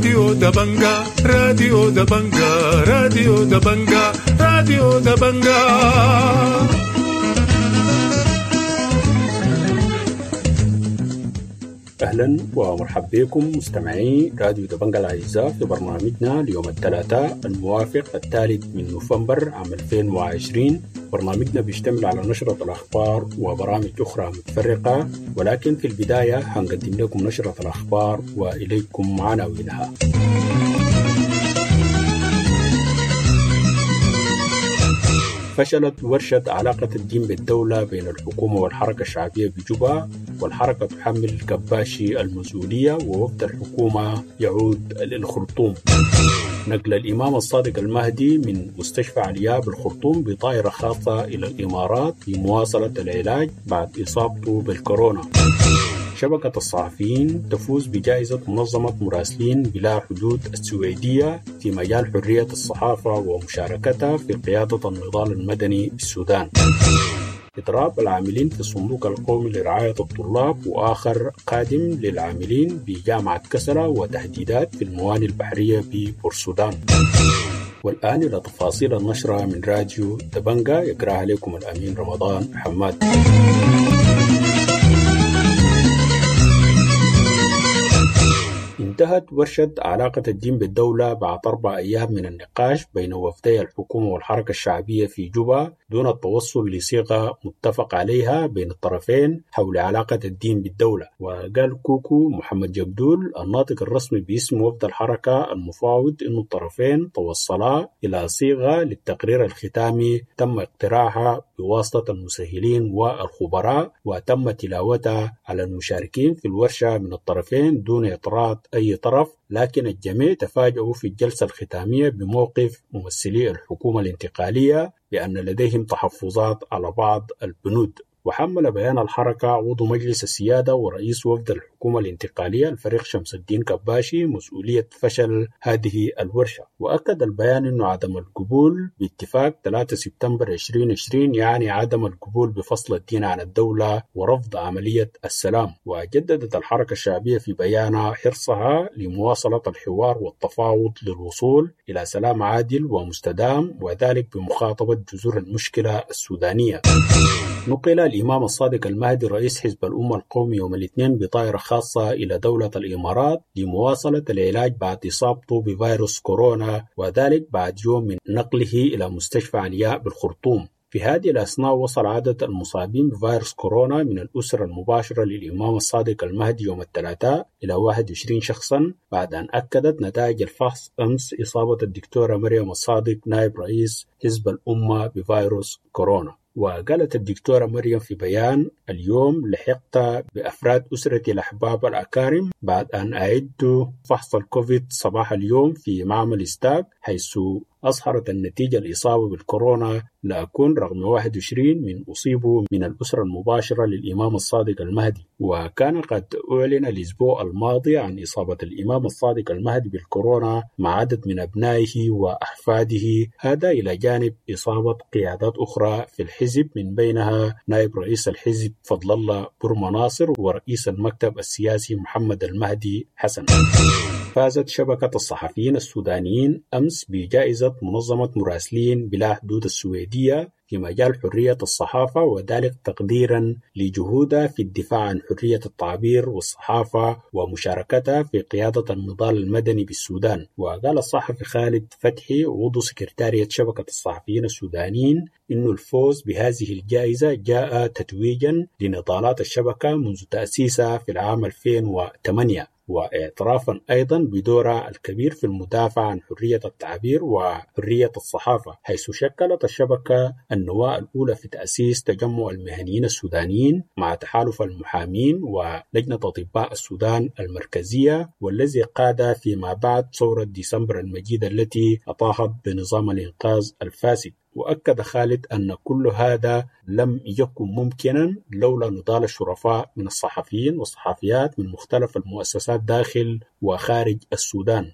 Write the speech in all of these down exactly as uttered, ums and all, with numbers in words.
راديو دبنجا، راديو دبنجا، راديو دبنجا، راديو دبنجا. أهلا ومرحبا بكم مستمعي راديو دبنجا الأعزاء في برنامجنا ليوم الثلاثاء الموافق الثالث من نوفمبر عام ألفين وعشرين. برنامجنا بيشتمل على نشرة الأخبار وبرامج أخرى متفرقة، ولكن في البداية هنقدم لكم نشرة الأخبار وإليكم عناوينها. فشلت ورشة علاقة الدين بالدولة بين الحكومة والحركة الشعبية بجوبا، والحركة تحمل كباشي المسؤولية، ووفد الحكومة يعود للخرطوم. نقل الإمام الصادق المهدي من مستشفى علياء بالخرطوم بطائرة خاصة إلى الإمارات لمواصلة العلاج بعد إصابته بالكورونا. شبكة الصحفيين تفوز بجائزة منظمة مراسلين بلا حدود السويدية في مجال حرية الصحافة ومشاركتها في قيادة النضال المدني بالسودان. إضراب العاملين في الصندوق القومي لرعاية الطلاب وآخر قادم للعاملين بجامعة كسلا وتهديدات في الموانئ البحرية ببورسودان. والآن إلى تفاصيل النشرة من راديو دبنجا يقرأها لكم الأمين رمضان حماد. انتهت ورشة علاقة الدين بالدولة بعد أربع أيام من النقاش بين وفدي الحكومة والحركة الشعبية في جوبا دون التوصل لصيغة متفق عليها بين الطرفين حول علاقة الدين بالدولة. وقال كوكو محمد جبدول الناطق الرسمي باسم وفد الحركة المفاوض أن الطرفين توصلا إلى صيغة للتقرير الختامي تم اقتراحها بواسطة المسهلين والخبراء وتم تلاوتها على المشاركين في الورشة من الطرفين دون اعتراض أي طرف، لكن الجميع تفاجؤوا في الجلسة الختامية بموقف ممثلي الحكومة الانتقالية بأن لديهم تحفظات على بعض البنود. وحمل بيان الحركة عضو مجلس السيادة ورئيس وفد الحكومة الانتقالية الفريق شمس الدين كباشي مسؤولية فشل هذه الورشة. وأكد البيان أن عدم القبول باتفاق ثلاثة سبتمبر ألفين وعشرين يعني عدم القبول بفصل الدين عن الدولة ورفض عملية السلام. وجددت الحركة الشعبية في بيانها حرصها لمواصلة الحوار والتفاوض للوصول إلى سلام عادل ومستدام، وذلك بمخاطبة جذور المشكلة السودانية. نقل الإمام الصادق المهدي رئيس حزب الأمة القومي يوم الاثنين بطائرة خاصة إلى دولة الإمارات لمواصلة العلاج بعد إصابته بفيروس كورونا، وذلك بعد يوم من نقله إلى مستشفى علياء بالخرطوم. في هذه الأثناء وصل عدد المصابين بفيروس كورونا من الأسرة المباشرة للإمام الصادق المهدي يوم الثلاثاء إلى واحد وعشرين شخصا، بعد أن أكدت نتائج الفحص أمس إصابة الدكتورة مريم الصادق نائب رئيس حزب الأمة بفيروس كورونا. وقالت الدكتورة مريم في بيان: اليوم لحقت بأفراد أسرتي الأحباب الأكارم بعد أن أعدت فحص الكوفيد صباح اليوم في معمل ستاك، حيث أظهرت النتيجة الإصابة بالكورونا لأكون رقم واحد وعشرين من أصيبوا من الأسرة المباشرة للإمام الصادق المهدي. وكان قد أعلن الأسبوع الماضي عن إصابة الإمام الصادق المهدي بالكورونا مع عدد من أبنائه وأحفاده، هذا إلى جانب إصابة قيادات أخرى في الحزب من بينها نائب رئيس الحزب فضل الله برما ناصر ورئيس المكتب السياسي محمد المهدي حسن. فازت شبكة الصحفيين السودانيين أمس بجائزة منظمة مراسلين بلا حدود السويدية في مجال حرية الصحافة، وذلك تقديرا لجهودها في الدفاع عن حرية التعبير والصحافة ومشاركتها في قيادة النضال المدني بالسودان. وقال الصحفي خالد فتحي عضو سكرتارية شبكة الصحفيين السودانيين إنه الفوز بهذه الجائزة جاء تتويجا لنضالات الشبكة منذ تأسيسها في العام ألفين وثمانية، واعترافا أيضا بدورها الكبير في المدافع عن حرية التعبير وحرية الصحافة، حيث شكلت الشبكة النواة الأولى في تأسيس تجمع المهنيين السودانيين مع تحالف المحامين ولجنة أطباء السودان المركزية، والذي قاد فيما بعد ثورة ديسمبر المجيدة التي أطاحت بنظام الإنقاذ الفاسد. وأكد خالد أن كل هذا لم يكن ممكنا لولا نضال الشرفاء من الصحفيين والصحفيات من مختلف المؤسسات داخل وخارج السودان.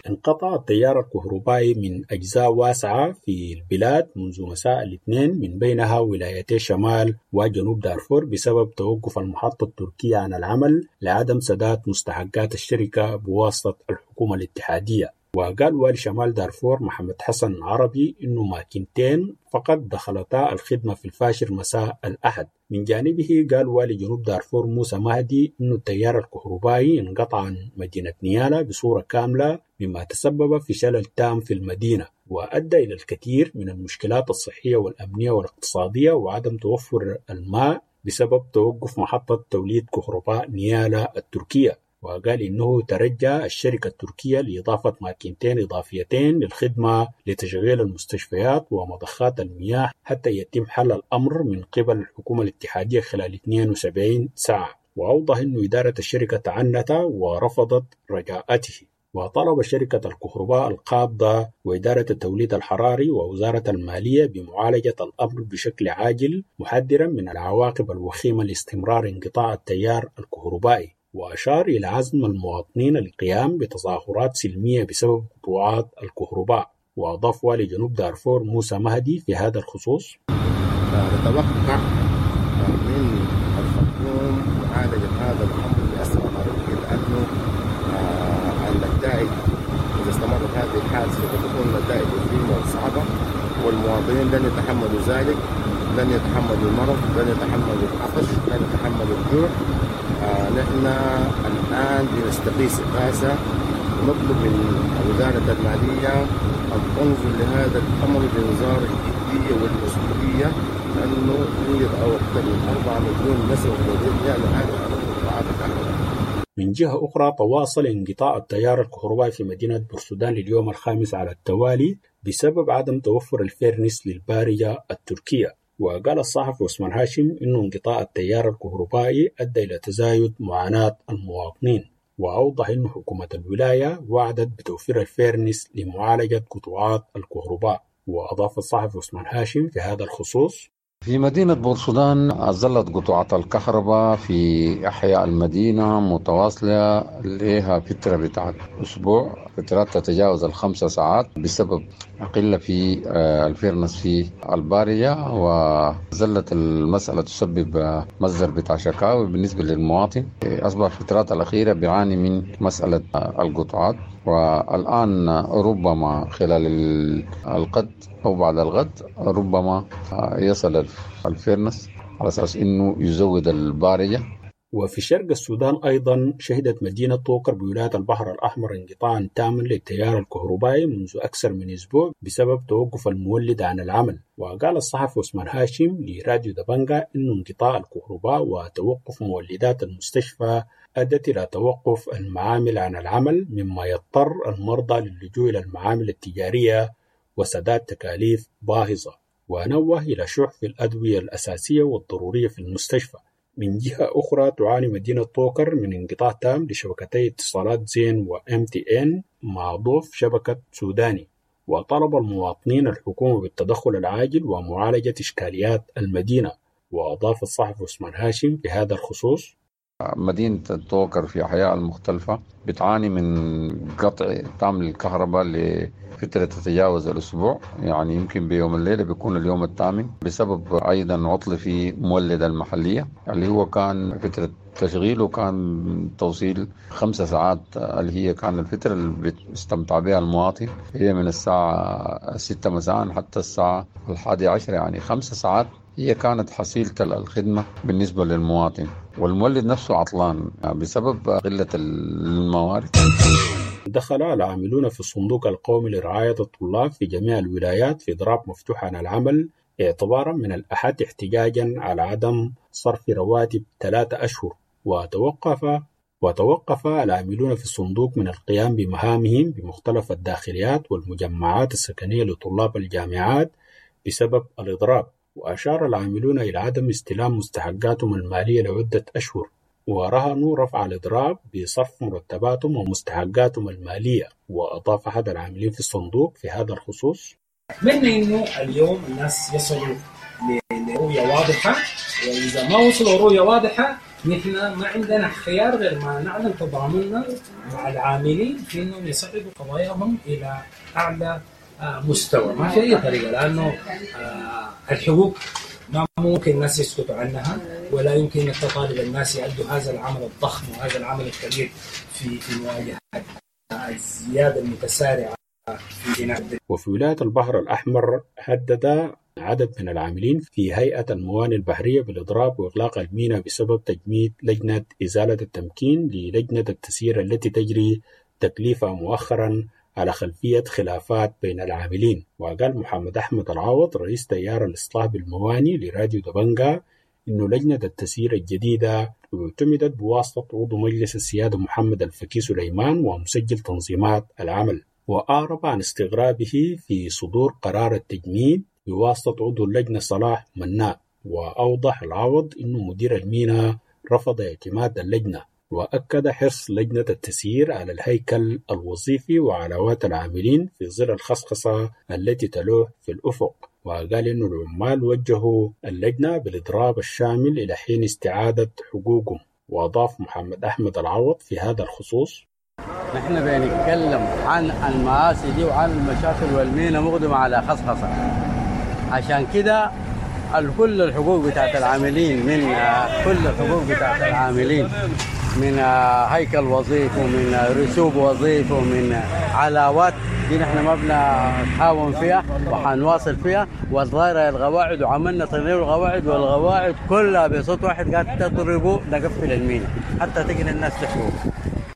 انقطع التيار الكهربائي من أجزاء واسعة في البلاد منذ مساء الاثنين، من بينها ولايتي شمال وجنوب دارفور، بسبب توقف المحطة التركية عن العمل لعدم سداد مستحقات الشركة بواسطة الحكومة الاتحادية. وقال والي شمال دارفور محمد حسن عربي إنه ماكينتين فقط دخلتا الخدمة في الفاشر مساء الأحد. من جانبه قال والي جنوب دارفور موسى مهدي إنه التيار الكهربائي انقطع عن مدينة نيالا بصورة كاملة، مما تسبب في شلل تام في المدينة وأدى إلى الكثير من المشكلات الصحية والأمنية والاقتصادية وعدم توفر الماء بسبب توقف محطة توليد كهرباء نيالا التركية. وقال إنه ترجى الشركة التركية لإضافة ماكينتين إضافيتين للخدمة لتشغيل المستشفيات ومضخات المياه حتى يتم حل الأمر من قبل الحكومة الاتحادية خلال اثنين وسبعين ساعة. وأوضح أن إدارة الشركة تعنت ورفضت رجاءته. وطلب شركة الكهرباء القابضة وإدارة التوليد الحراري ووزارة المالية بمعالجة الأمر بشكل عاجل، محذرا من العواقب الوخيمة لاستمرار انقطاع التيار الكهربائي. وأشار إلى عزم المواطنين القيام بتظاهرات سلمية بسبب قطوعات الكهرباء. وأضاف والي جنوب دارفور موسى مهدي في هذا الخصوص: نتوقع من الخرطوم معالجة هذا الأمر بأسرع ما يمكن، لأنه النتائج إذا استمرت هذه الحال سوف تكون نتائج وخيمة وصعبة، والمواطنين لن يتحملوا ذلك، لن يتحملوا المرض، لن يتحملوا العطش، لن يتحملوا الجوع. آه نحن الآن بنستغيث إغاثة ونطلب من وزارة المالية أن تنظر لهذا الأمر بنظار الجدية والمسؤولية، لأنه يوجد أكثر من أربعة مليون نسمة في يعني هذا قطاعات الكهرباء. من جهة أخرى تواصل انقطاع التيار الكهربائي في مدينة بورسودان لليوم الخامس على التوالي بسبب عدم توفر الفيرنس للبارجة التركية. وقال الصحفي عثمان هاشم إنه انقطاع التيار الكهربائي أدى إلى تزايد معاناة المواطنين، وأوضح أن حكومة الولاية وعدت بتوفير الفيرنس لمعالجة قطوعات الكهرباء. وأضاف الصحفي عثمان هاشم في هذا الخصوص: في مدينة بورسودان ظلت قطوعات الكهرباء في أحياء المدينة متواصلة لها فترة بتاعت أسبوع، فترات تتجاوز الخمسة ساعات بسبب قلة في الفيرنس في البارية، وظلت المسألة تسبب مصدر بتاع شكاوي بالنسبة للمواطن. أصبح الفترات الأخيرة بيعاني من مسألة القطوعات، والآن ربما خلال الغد أو بعد الغد ربما يصل الفيرنس على أساس أنه يزود البارجة. وفي شرق السودان أيضا شهدت مدينة طوكر بولاية البحر الأحمر انقطاعا تاما للتيار الكهربائي منذ أكثر من أسبوع بسبب توقف المولد عن العمل. وقال الصحفي عثمان هاشم لراديو دبنجا إنه انقطاع الكهرباء وتوقف مولدات المستشفى أدت إلى توقف المعامل عن العمل، مما يضطر المرضى للجوء إلى المعامل التجارية وسداد تكاليف باهظة. ونوه إلى شح في الأدوية الأساسية والضرورية في المستشفى. من جهة أخرى تعاني مدينة طوكر من انقطاع تام لشبكتي اتصالات زين وام تي ان مع ضعف شبكة سوداني. وطلب المواطنين الحكومة بالتدخل العاجل ومعالجة إشكاليات المدينة. وأضاف الصحفي عثمان هاشم في هذا الخصوص: مدينة طوكر في أحياء المختلفة بتعاني من قطع تام للكهرباء لفترة تتجاوز الأسبوع، يعني يمكن بيوم الليلة بيكون اليوم الثامن، بسبب أيضا عطل في مولد المحلية اللي هو كان فترة تشغيله كان توصيل خمسة ساعات، اللي هي كان الفترة اللي بيستمتع بها المواطن هي من الساعة ستة مساء حتى الساعة الحادية عشر، يعني خمسة ساعات هي كانت حصيلة الخدمة بالنسبة للمواطن. والمولد نفسه عطلان بسبب قلة الموارد. دخل العاملون في الصندوق القومي لرعاية الطلاب في جميع الولايات في إضراب مفتوح عن العمل اعتبارا من الأحد احتجاجا على عدم صرف رواتب ثلاثة أشهر. وتوقف وتوقف العاملون في الصندوق من القيام بمهامهم بمختلف الداخليات والمجمعات السكنية لطلاب الجامعات بسبب الإضراب. وأشار العاملون إلى عدم استلام مستحقاتهم المالية لعدة أشهر، ورهنوا رفع الإضراب بصرف مرتباتهم ومستحقاتهم المالية. وأضاف أحد العاملين في الصندوق في هذا الخصوص: أتمنى إنه اليوم الناس يصلوا لرؤية واضحة، وإذا ما وصلوا رؤية واضحة نحن ما عندنا خيار غير ما نعلن تضامننا مع العاملين في انهم يصعدوا قضاياهم الى اعلى مستوى. ما في اي طريقه، لانه الحقوق ما ممكن الناس يسكتوا عنها، ولا يمكن انك تطالب الناس يؤدوا هذا العمل الضخم وهذا العمل الكبير في في مواجهه الزياده المتسارعه في. وفي ولاية البحر الأحمر هدد عدد من العاملين في هيئة الموانئ البحرية بالإضراب وإغلاق الميناء بسبب تجميد لجنة إزالة التمكين للجنة التسيير التي تجري تكليفها مؤخرا على خلفية خلافات بين العاملين. وقال محمد أحمد العوض رئيس تيار الإصلاح بالموانئ لراديو دبنجا إنه لجنة التسيير الجديدة اعتمدت بواسطة عضو مجلس السيادة محمد الفكي سليمان ومسجل تنظيمات العمل. وأعرب عن استغرابه في صدور قرار التجميد بواسطة عضو اللجنة صلاح مناء. وأوضح العوض أنه مدير الميناء رفض اعتماد اللجنة، وأكد حرص لجنة التسيير على الهيكل الوظيفي وعلاوات العاملين في ظل الخصخصة التي تلوح في الأفق. وقال أن العمال وجهوا اللجنة بالإضراب الشامل إلى حين استعادة حقوقهم. وأضاف محمد أحمد العوض في هذا الخصوص: نحن بنتكلم عن المآسي دي وعن المشاكل، والمينا مقدمة على خصخصة، عشان كده كل الحقوق بتاعت العاملين من كل الحقوق بتاعت العاملين من هيكل وظيفي ومن رسوب وظيفي ومن علاوات دي نحن ما بنتهاون فيها وحنواصل فيها. والظاهرة القواعد، وعملنا تغيير القواعد، والقواعد كلها بصوت واحد قاعد تضربوا نقفل المينا حتى تجي الناس تحقوق.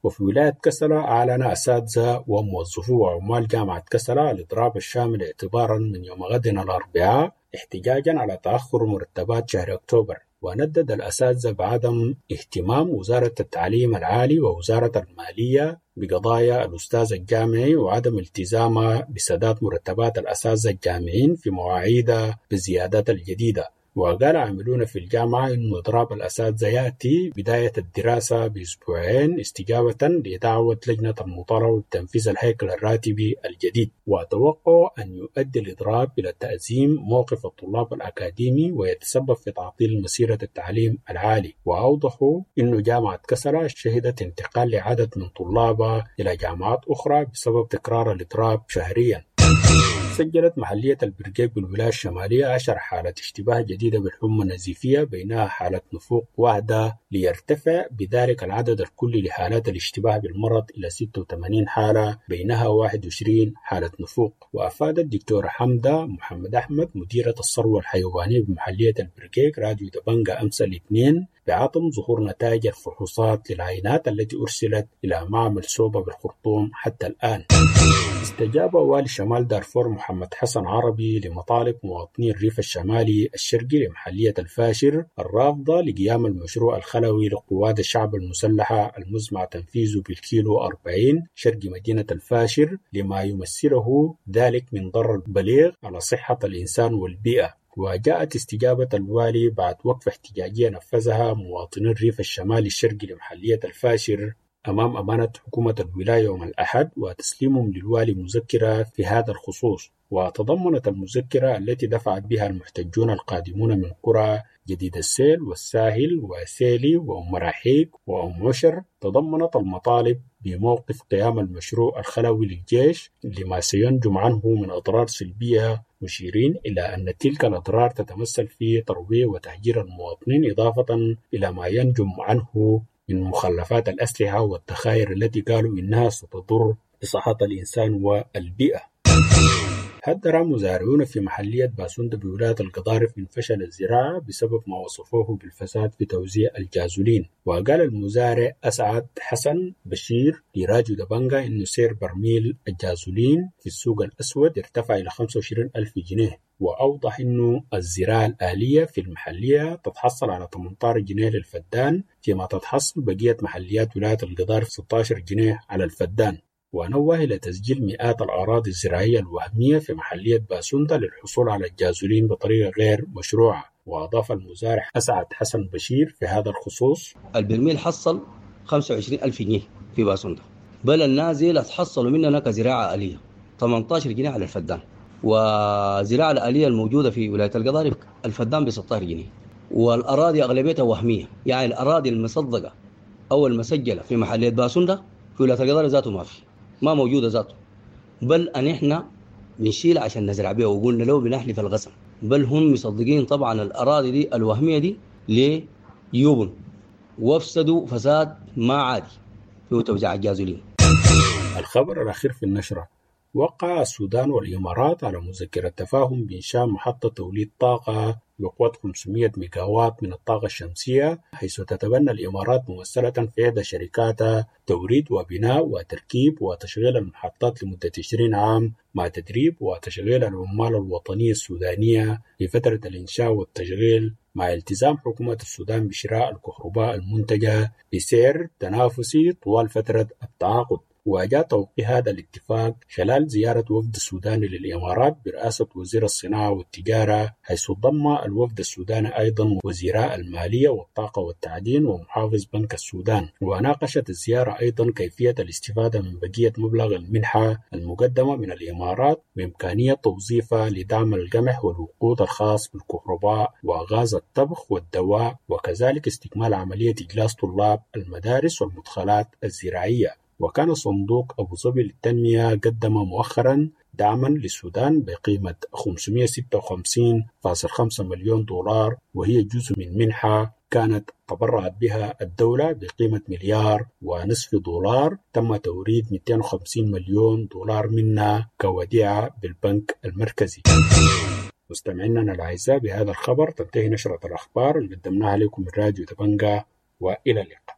وفي ولاية كسلا أعلن أساتذة وموظفو وعمال جامعة كسلا الإضراب الشامل اعتبارا من يوم غد الأربعاء احتجاجا على تأخر مرتبات شهر أكتوبر. وندد الأساتذة بعدم اهتمام وزارة التعليم العالي ووزارة المالية بقضايا الأستاذ الجامعي وعدم التزامها بسداد مرتبات الأساتذة الجامعيين في مواعيد بالزيادات الجديدة. وقال عاملون في الجامعة إن إضراب الأساتذة يأتي بداية الدراسة بأسبوعين استجابة لدعوة لجنة المطالبة بتنفيذ الهيكل الراتبي الجديد. وتوقع أن يؤدي الإضراب إلى تأزيم موقف الطلاب الأكاديمي ويتسبب في تعطيل مسيرة التعليم العالي. وأوضحوا أن جامعة كسلا شهدت انتقال لعدد من طلابها إلى جامعات أخرى بسبب تكرار الإضراب شهريا. سجلت محلية البرقيق بالولاية الشمالية عشر حالة اشتباه جديدة بالحمى النزيفية، بينها حالة نفوق واحدة، ليرتفع بذلك العدد الكلي لحالات الاشتباه بالمرض إلى ستة وثمانين حالة، بينها واحد وعشرين حالة نفوق. وأفاد الدكتورة حمدة محمد أحمد مديرة الثروة الحيوانية بمحلية البرقيق راديو دبنجا أمس الاثنين بعدم ظهور نتائج الفحوصات للعينات التي أرسلت إلى معمل سوبا بالخرطوم حتى الآن. استجاب والي شمال دارفور محمد حسن عربي لمطالب مواطني الريف الشمالي الشرقي لمحلية الفاشر الرافضة لقيام المشروع الخلوي لقوات الشعب المسلحة المزمع تنفيذه بالكيلو أربعين شرق مدينة الفاشر لما يمثله ذلك من ضرر بليغ على صحة الإنسان والبيئة. وجاءت استجابة الوالي بعد وقفة احتجاجية نفذها مواطني الريف الشمالي الشرقي لمحلية الفاشر أمام أمانة حكومة الولاية يوم الأحد وتسليمهم للوالي مذكرة في هذا الخصوص. وتضمنت المذكرة التي دفعت بها المحتجون القادمون من قرى جديد السيل والساهل وسيلي وأم مراحيك وأم عشر تضمنت المطالب بموقف قيام المشروع الخلوي للجيش لما سينجم عنه من أضرار سلبية، مشيرين إلى أن تلك الأضرار تتمثل في ترويع وتهجير المواطنين، إضافة إلى ما ينجم عنه من مخلفات الأسلحة والذخائر التي قالوا إنها ستضر بصحة الإنسان والبيئة. حذر مزارعون في محلية باسوند بولاية القضارف من فشل الزراعة بسبب ما وصفوه بالفساد في توزيع الجازولين. وقال المزارع أسعد حسن بشير لراديو دبنجا إنه سعر برميل الجازولين في السوق الأسود ارتفع إلى خمسة وعشرين ألف جنيه. وأوضح إنه الزراعة الآلية في المحلية تتحصل على ثمانية عشر جنيه للفدان، فيما تتحصل بقية محليات ولاية القضارف ستة عشر جنيه على الفدان. ونوه إلى تسجيل مئات الأراضي الزراعية الوهمية في محلية باسوندا للحصول على الجازولين بطريقة غير مشروعة. وأضاف المزارع أسعد حسن بشير في هذا الخصوص: البرميل حصل خمسة وعشرين ألف جنيه في باسوندا، بل النازل تحصلوا مننا كزراعة آلية ثمانية عشر جنيه على الفدان، وزراعة الآلية الموجودة في ولاية القضارف الفدان ب ستة عشر جنيه. والأراضي أغلبيتها وهمية، يعني الأراضي المصدقة أو المسجلة في محلية باسوندا في ولاية القضارف ذاته ما في، ما موجودة ذاته. بل أن إحنا بنشيل عشان نزرع بها، وقلنا لو بنحلف القسم، بل هم مصدقين طبعا الأراضي دي الوهمية دي ليوبن، وافسدوا فساد ما عادي في توزيع الجازولين. الخبر الأخير في النشرة: وقع السودان والإمارات على مذكرة تفاهم بإنشاء محطة توليد طاقة بقوة خمسمائة ميجاوات من الطاقة الشمسية، حيث تتبنى الإمارات ممثلة في إحدى شركاتها توريد وبناء وتركيب وتشغيل المحطات لمدة عشرين عام، مع تدريب وتشغيل العمال الوطنية السودانية في فترة الإنشاء والتشغيل، مع التزام حكومة السودان بشراء الكهرباء المنتجة بسعر تنافسي طوال فترة التعاقد. وجاء توقيع هذا الاتفاق خلال زيارة وفد السوداني للإمارات برئاسة وزير الصناعة والتجارة، حيث ضم الوفد السوداني أيضا وزيراء المالية والطاقة والتعدين ومحافظ بنك السودان. وناقشت الزيارة أيضا كيفية الاستفادة من بقية مبلغ المنحة المقدمة من الإمارات وإمكانية توظيفها لدعم القمح والوقود الخاص بالكهرباء وغاز الطبخ والدواء، وكذلك استكمال عملية إجلاس طلاب المدارس والمدخلات الزراعية. وكان صندوق أبو ظبي للتنمية قدم مؤخرا دعما للسودان بقيمة خمسمائة وستة وخمسين فاصلة خمسة مليون دولار، وهي جزء من منحة كانت تبرعت بها الدولة بقيمة مليار ونصف دولار، تم توريد مئتين وخمسين مليون دولار منها كوديعة بالبنك المركزي. مستمعينا الأعزاء، بهذا الخبر تنتهي نشرة الأخبار اللي قدمناها لكم من راديو دبنجا، وإلى اللقاء.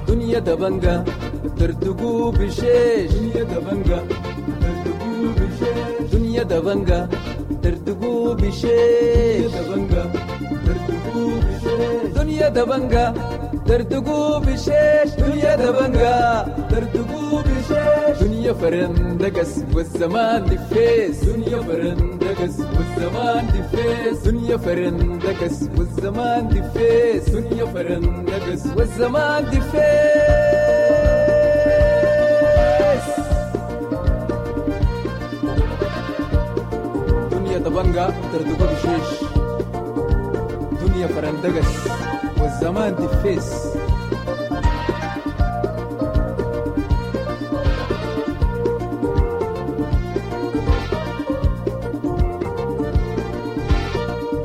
دنيا دبنجا ترتقو بشيش، دنيا دبنجا ترتقو بشيش، دنيا دبنجا ترتقو بشيش، دبنجا ترتقو بشيش، دنيا دبنجا ترتقو بشيش، دنيا دبنجا ترتقو بشيش، دنيا فرندقس والزمان دفيس، دنيا فرندقس والزمان دفيس، دنيا فرندقس والزمان دفيس، دنيا فرندقس والزمان دفيس. دنيا دبنجا ترتقو بشيش، دنيا فرندقس والزمان دفيس.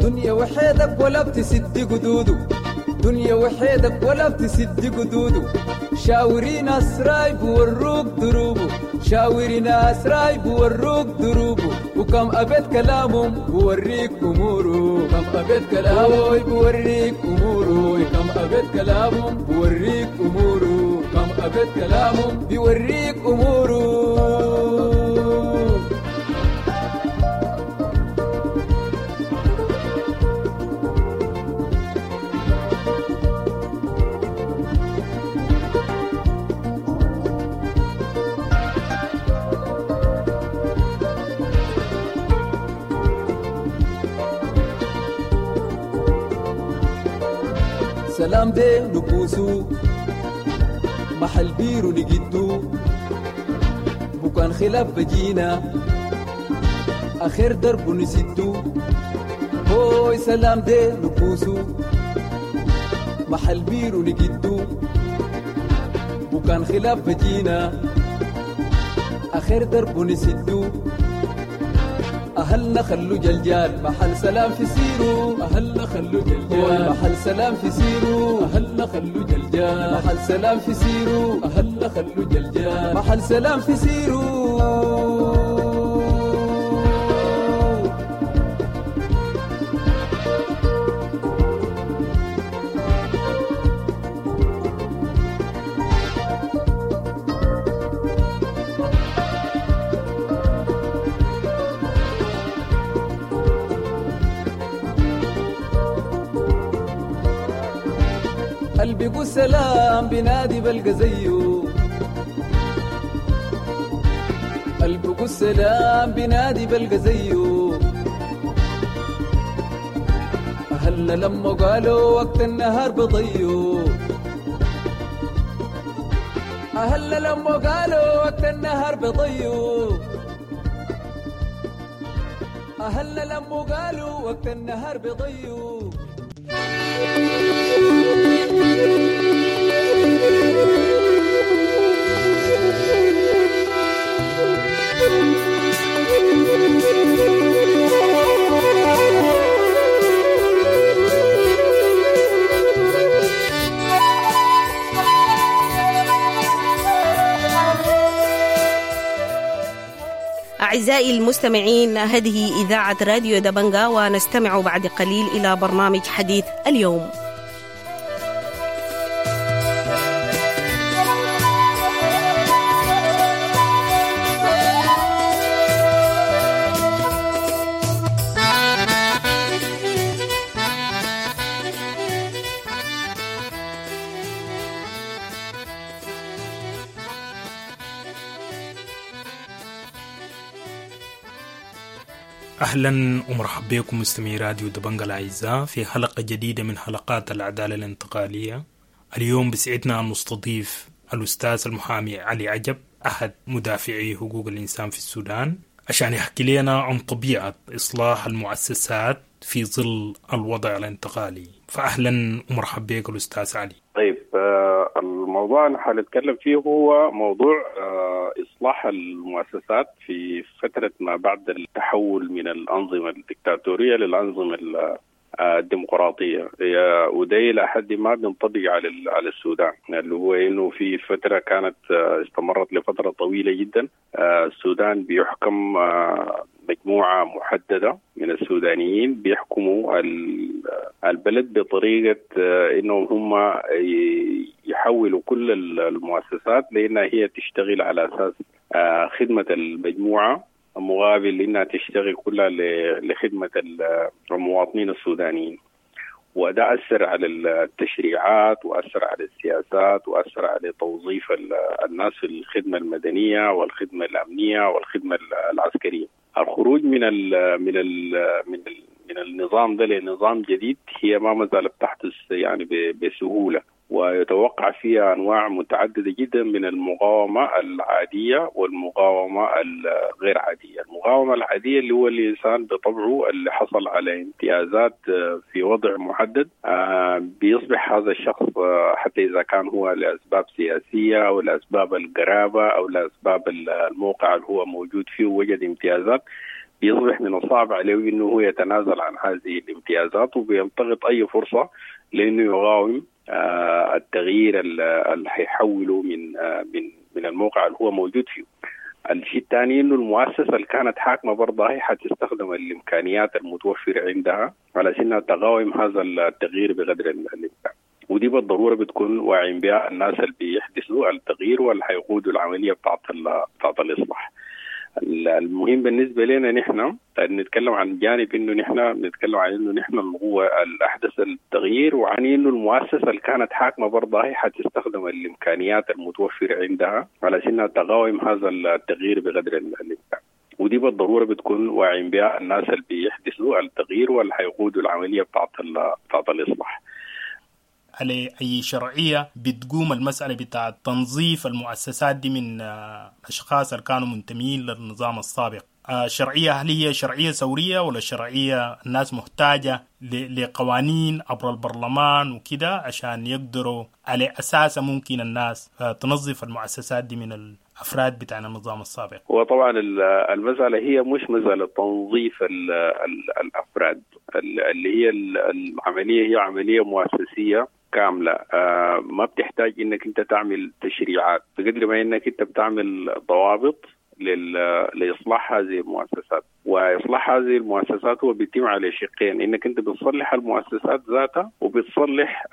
دنيا وحيدك ولا بتسد قدوده، دنيا وحيدك ولا بتسد قدوده، شاوري ناس رايب وروك دروبه، شاوري ناس رايب وروك دروبه، وكم أبيت كلامهم بوريك أموره، كم أبيت كلامه بوريك أموره، كم أبيت كلامهم بوريك أموره، كم أبيت كلامهم بيوريك أموره. سلام دي نبوسو محل بيرو نجدو، بكان خلاف بجينا آخر درب نسدو، هوي سلام دي نبوسو محل بيرو نجدو، بكان خلاف بجينا آخر درب نسدو، أهلنا خلو جلجال محل سلام في سيرو، أهلنا خلو جلجال محل سلام في سيرو، أهلنا خلو جلجال محل سلام في سيرو، أهلنا خلو جلجال محل سلام في سيرو. قلبي سلام بنادي بلقى زيه، قلبي سلام بنادي بلقى زيه، أهلنا لما قالوا وقت النهار بضيو، أهلنا لما قالوا وقت النهار بضيو. أهلنا لموا قالوا وقت النهار بيضيوا. أعزائي المستمعين، هذه إذاعة راديو دبنجا، ونستمع بعد قليل إلى برنامج حديث اليوم. أهلا ومرحبا بكم مستمعي راديو دبنجا الأعزاء في حلقة جديدة من حلقات العدالة الانتقالية. اليوم بسعدنا أن نستضيف الأستاذ المحامي علي عجب، أحد مدافعي حقوق الإنسان في السودان، عشان يحكي لنا عن طبيعة إصلاح المؤسسات في ظل الوضع الانتقالي. فأهلا ومرحبا بك الأستاذ علي. طيب، الموضوع اللي حنتكلم فيه هو موضوع إصلاح المؤسسات في فترة ما بعد التحول من الأنظمة الدكتاتورية للأنظمة الديمقراطية، وده إلى حد ما بينطبق على على السودان، اللي هو إنه في فترة كانت استمرت لفترة طويلة جدا السودان بيحكم مجموعة محددة من السودانيين بيحكموا البلد بطريقة إنهم هم يحولوا كل المؤسسات لأنها هي تشتغل على أساس خدمة المجموعة مقابل إنها تشتغل كلها لخدمة المواطنين السودانيين. وده أثر على التشريعات وأثر على السياسات وأثر على توظيف الناس في الخدمة المدنية والخدمة الأمنية والخدمة العسكرية. الخروج من ال من ال من ال من النظام ده لنظام جديد هي ما زالت تحدث يعني بسهولة، ويتوقع فيها أنواع متعددة جدا من المقاومة العادية والمقاومة الغير عادية. المقاومة العادية اللي هو الإنسان بطبعه اللي حصل على امتيازات في وضع محدد بيصبح هذا الشخص حتى إذا كان هو لأسباب سياسية أو لأسباب القرابة أو لأسباب الموقع اللي هو موجود فيه وجد امتيازات، بيصبح من الصعب عليه إنه هو يتنازل عن هذه الامتيازات، وبيلتقط أي فرصة لأنه يقاوم التغيير اللي حيحوله من من من الموقع اللي هو موجود فيه. الشيء الثاني انه المؤسسه اللي كانت حاكمه برضه هي حتستخدم الامكانيات المتوفره عندها على انها تقاوم هذا التغيير بقدر الامكان، ودي بالضروره بتكون واعين بها الناس اللي بيحدثوا التغيير واللي حيقودوا العمليه بتاعت بتاعت الاصلاح. المهم بالنسبة لنا نحن نتكلم عن جانب إنه نحن نتكلم عن إنه نحن القوة الأحدث التغيير، وعن إنه المؤسسة اللي كانت حاكمة برضه هي حتستخدم الإمكانيات المتوفرة عندها على إنها تقاوم هذا التغيير بقدر الإمكان، ودي بالضرورة بتكون واعين بها الناس اللي بيحدثوا التغيير واللي حيقودوا العملية بتاعت بتاعت الإصلاح. على أي شرعية بتقوم المسألة بتاع تنظيف المؤسسات دي من أشخاص اللي كانوا منتمين للنظام السابق؟ شرعية هل هي شرعية ثورية ولا شرعية الناس محتاجة لقوانين عبر البرلمان وكده عشان يقدروا على أساسا ممكن الناس تنظف المؤسسات دي من الأفراد بتاع النظام السابق؟ هو طبعا المسألة هي مش مسألة تنظيف ال ال الأفراد، اللي هي العملية هي عملية مؤسسية كاملة، ما بتحتاج إنك أنت تعمل تشريعات بقدر ما إنك أنت بتعمل ضوابط لإصلاح هذه المؤسسات. وإصلاح هذه المؤسسات هو بيتم على شقين، إنك أنت بتصلح المؤسسات ذاتها وبتصلح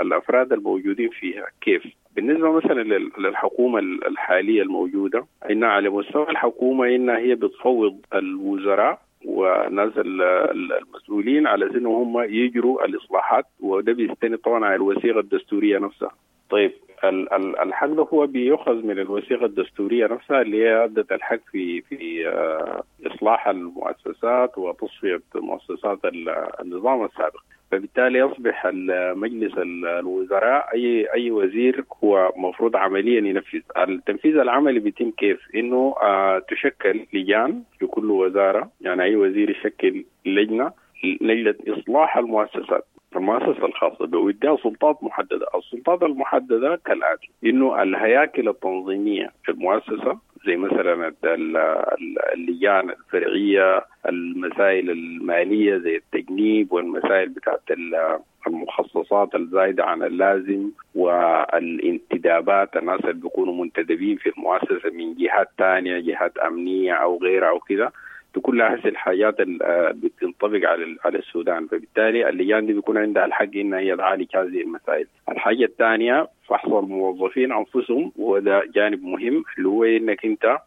الأفراد الموجودين فيها. كيف؟ بالنسبة مثلا للحكومة الحالية الموجودة، إنها على مستوى الحكومة إنها هي بتفوض الوزراء وناس المسؤولين على أنه هم يجروا الإصلاحات، وده بيستند طبعا على الوثيقة الدستورية نفسها. طيب الحق ده هو بيؤخذ من الوثيقة الدستورية نفسها اللي هي أدت الحق في في إصلاح المؤسسات وتصفية مؤسسات النظام السابق. فبالتالي يصبح مجلس الوزراء اي اي وزير هو مفروض عمليا ينفذ. التنفيذ العملي بيتم كيف؟ انه آه تشكل لجان في كل وزارة، يعني اي وزير يشكل لجنة لجنة اصلاح المؤسسات، المؤسسة الخاصة به، ويديها سلطات محددة. السلطات المحددة كالاتي: انه الهياكل التنظيمية في المؤسسة زي مثلا اللجان الفرعية، المسائل المالية زي التجنيب والمسائل بتاعت المخصصات الزايدة عن اللازم والانتدابات، الناس اللي بيكونوا منتدبين في المؤسسة من جهات تانية، جهات امنية او غيرها او كده، كلها هسه الحاجات اللي بتنطبق على على السودان. فبالتالي اللجان دي بيكون عندها الحق انها هي تعالج هذه المسائل. الحاجة الثانية فحص الموظفين انفسهم، وده جانب مهم اللي هو انك انت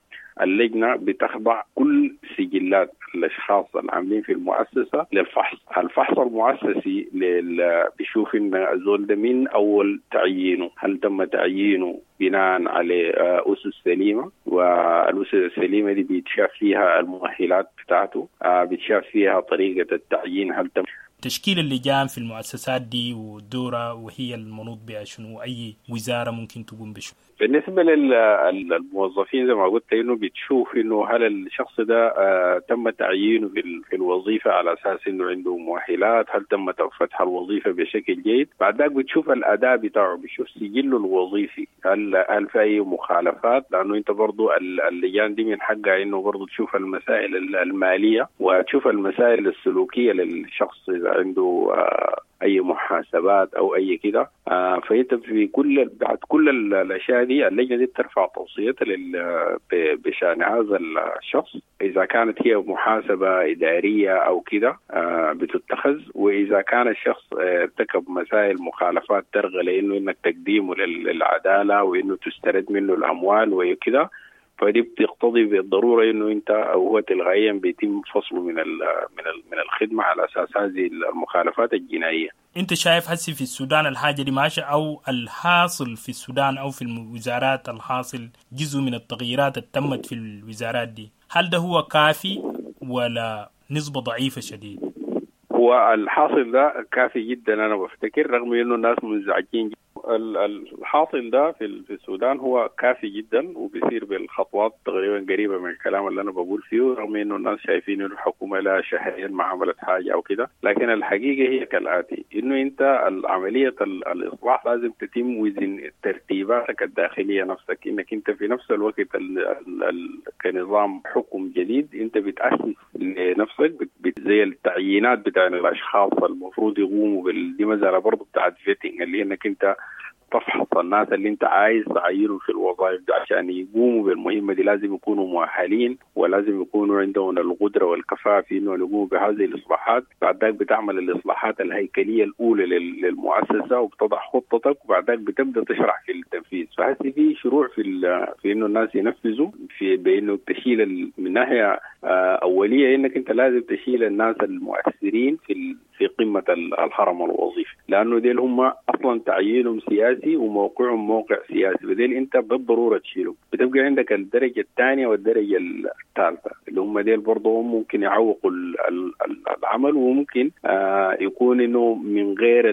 اللجنة بتخضع كل سجلات الاشخاص العاملين في المؤسسة للفحص. الفحص المؤسسي لل... بيشوف ان الزول ده من اول تعيينه هل تم تعيينه بناء على اسس سليمة، والاسس السليمة دي بيتشاف فيها المؤهلات بتاعته، بيتشاف فيها طريقه التعيين هل تم تشكيل اللجان في المؤسسات دي ودورها وهي المنوط بها شنو، أي وزارة ممكن تقوم بشنو؟ بالنسبة للموظفين زي ما قلت إنه بتشوف إنه هل الشخص ده آه تم تعيينه في, في الوظيفة على أساس إنه عنده مؤهلات، هل تم فتح الوظيفة بشكل جيد. بعد ذاك بتشوف الأداء بتاعه، بتشوف سجله الوظيفي هل هل في أي مخالفات، لأنه أنت برضو اللجان دي من حقها إنه برضو تشوف المسائل المالية وتشوف المسائل السلوكية للشخص إذا عنده آه اي محاسبات او اي كده. آه فانت في كل بعد كل الاشياء دي اللجنة دي بترفع توصيتها بشان هذا الشخص، اذا كانت هي محاسبه ادارية او كده آه بتتخذ، واذا كان الشخص ارتكب مسائل مخالفات ترغى لانه انك تقديمه للعدالة وانه تسترد منه الاموال وكده، فدي بتقتضي بالضرورة انه انت او هو تلغائيا بيتم فصله من ال من ال من الخدمة على اساس هذه المخالفات الجنائية. انت شايف هسي في السودان الحاجة دي ماشية او الحاصل في السودان او في الوزارات الحاصل جزء من التغييرات اللي تمت في الوزارات دي، هل ده هو كافي ولا نسبه ضعيفة شديد؟ هو الحاصل ده كافي جدا انا بفتكر، رغم انه الناس منزعجين جداً. الحاصل ده في السودان هو كافي جدا وبيصير بالخطوات تقريبا قريبه من الكلام اللي انا بقول فيه، رغم انه الناس شايفين انه الحكومة لها شهرين ما عملت حاجة او كده، لكن الحقيقة هي كالاتي: انه انت عملية الاصلاح لازم تتم وزن ترتيباتك الداخلية نفسك، انك انت في نفس الوقت ال ال ال كنظام حكم جديد انت بتاسس لنفسك زي التعيينات بتاع الاشخاص المفروض يقوموا بال دي مسالة برضه بتاعت vetting، اللي انك انت تفحص الناس اللي انت عايز تعينهم في الوظائف دي عشان يقوموا بالمهمه دي، لازم يكونوا مؤهلين ولازم يكونوا عندهم القدرة والكفاءة في انه يقوموا بهذه الاصلاحات. بعد ذاك بتعمل الاصلاحات الهيكلية الاولى للمؤسسه وبتضع خطتك، وبعد ذاك بتبدا تشرح في التنفيذ. فهسه في شروع في في انه الناس ينفذوا في بانه تشيل من ناحية اوليه انك انت لازم تشيل الناس المؤثرين في في قمة الهرم الوظيفي، لانه ديل هم اصلا تعيينهم سياسي وموقعهم موقع سياسي، بديل انت بالضرورة تشيله. بتبقى عندك الدرجة الثانية والدرجة الثالثة اللي هم ديل برضه ممكن يعوقوا العمل، وممكن آه يكون انه من غير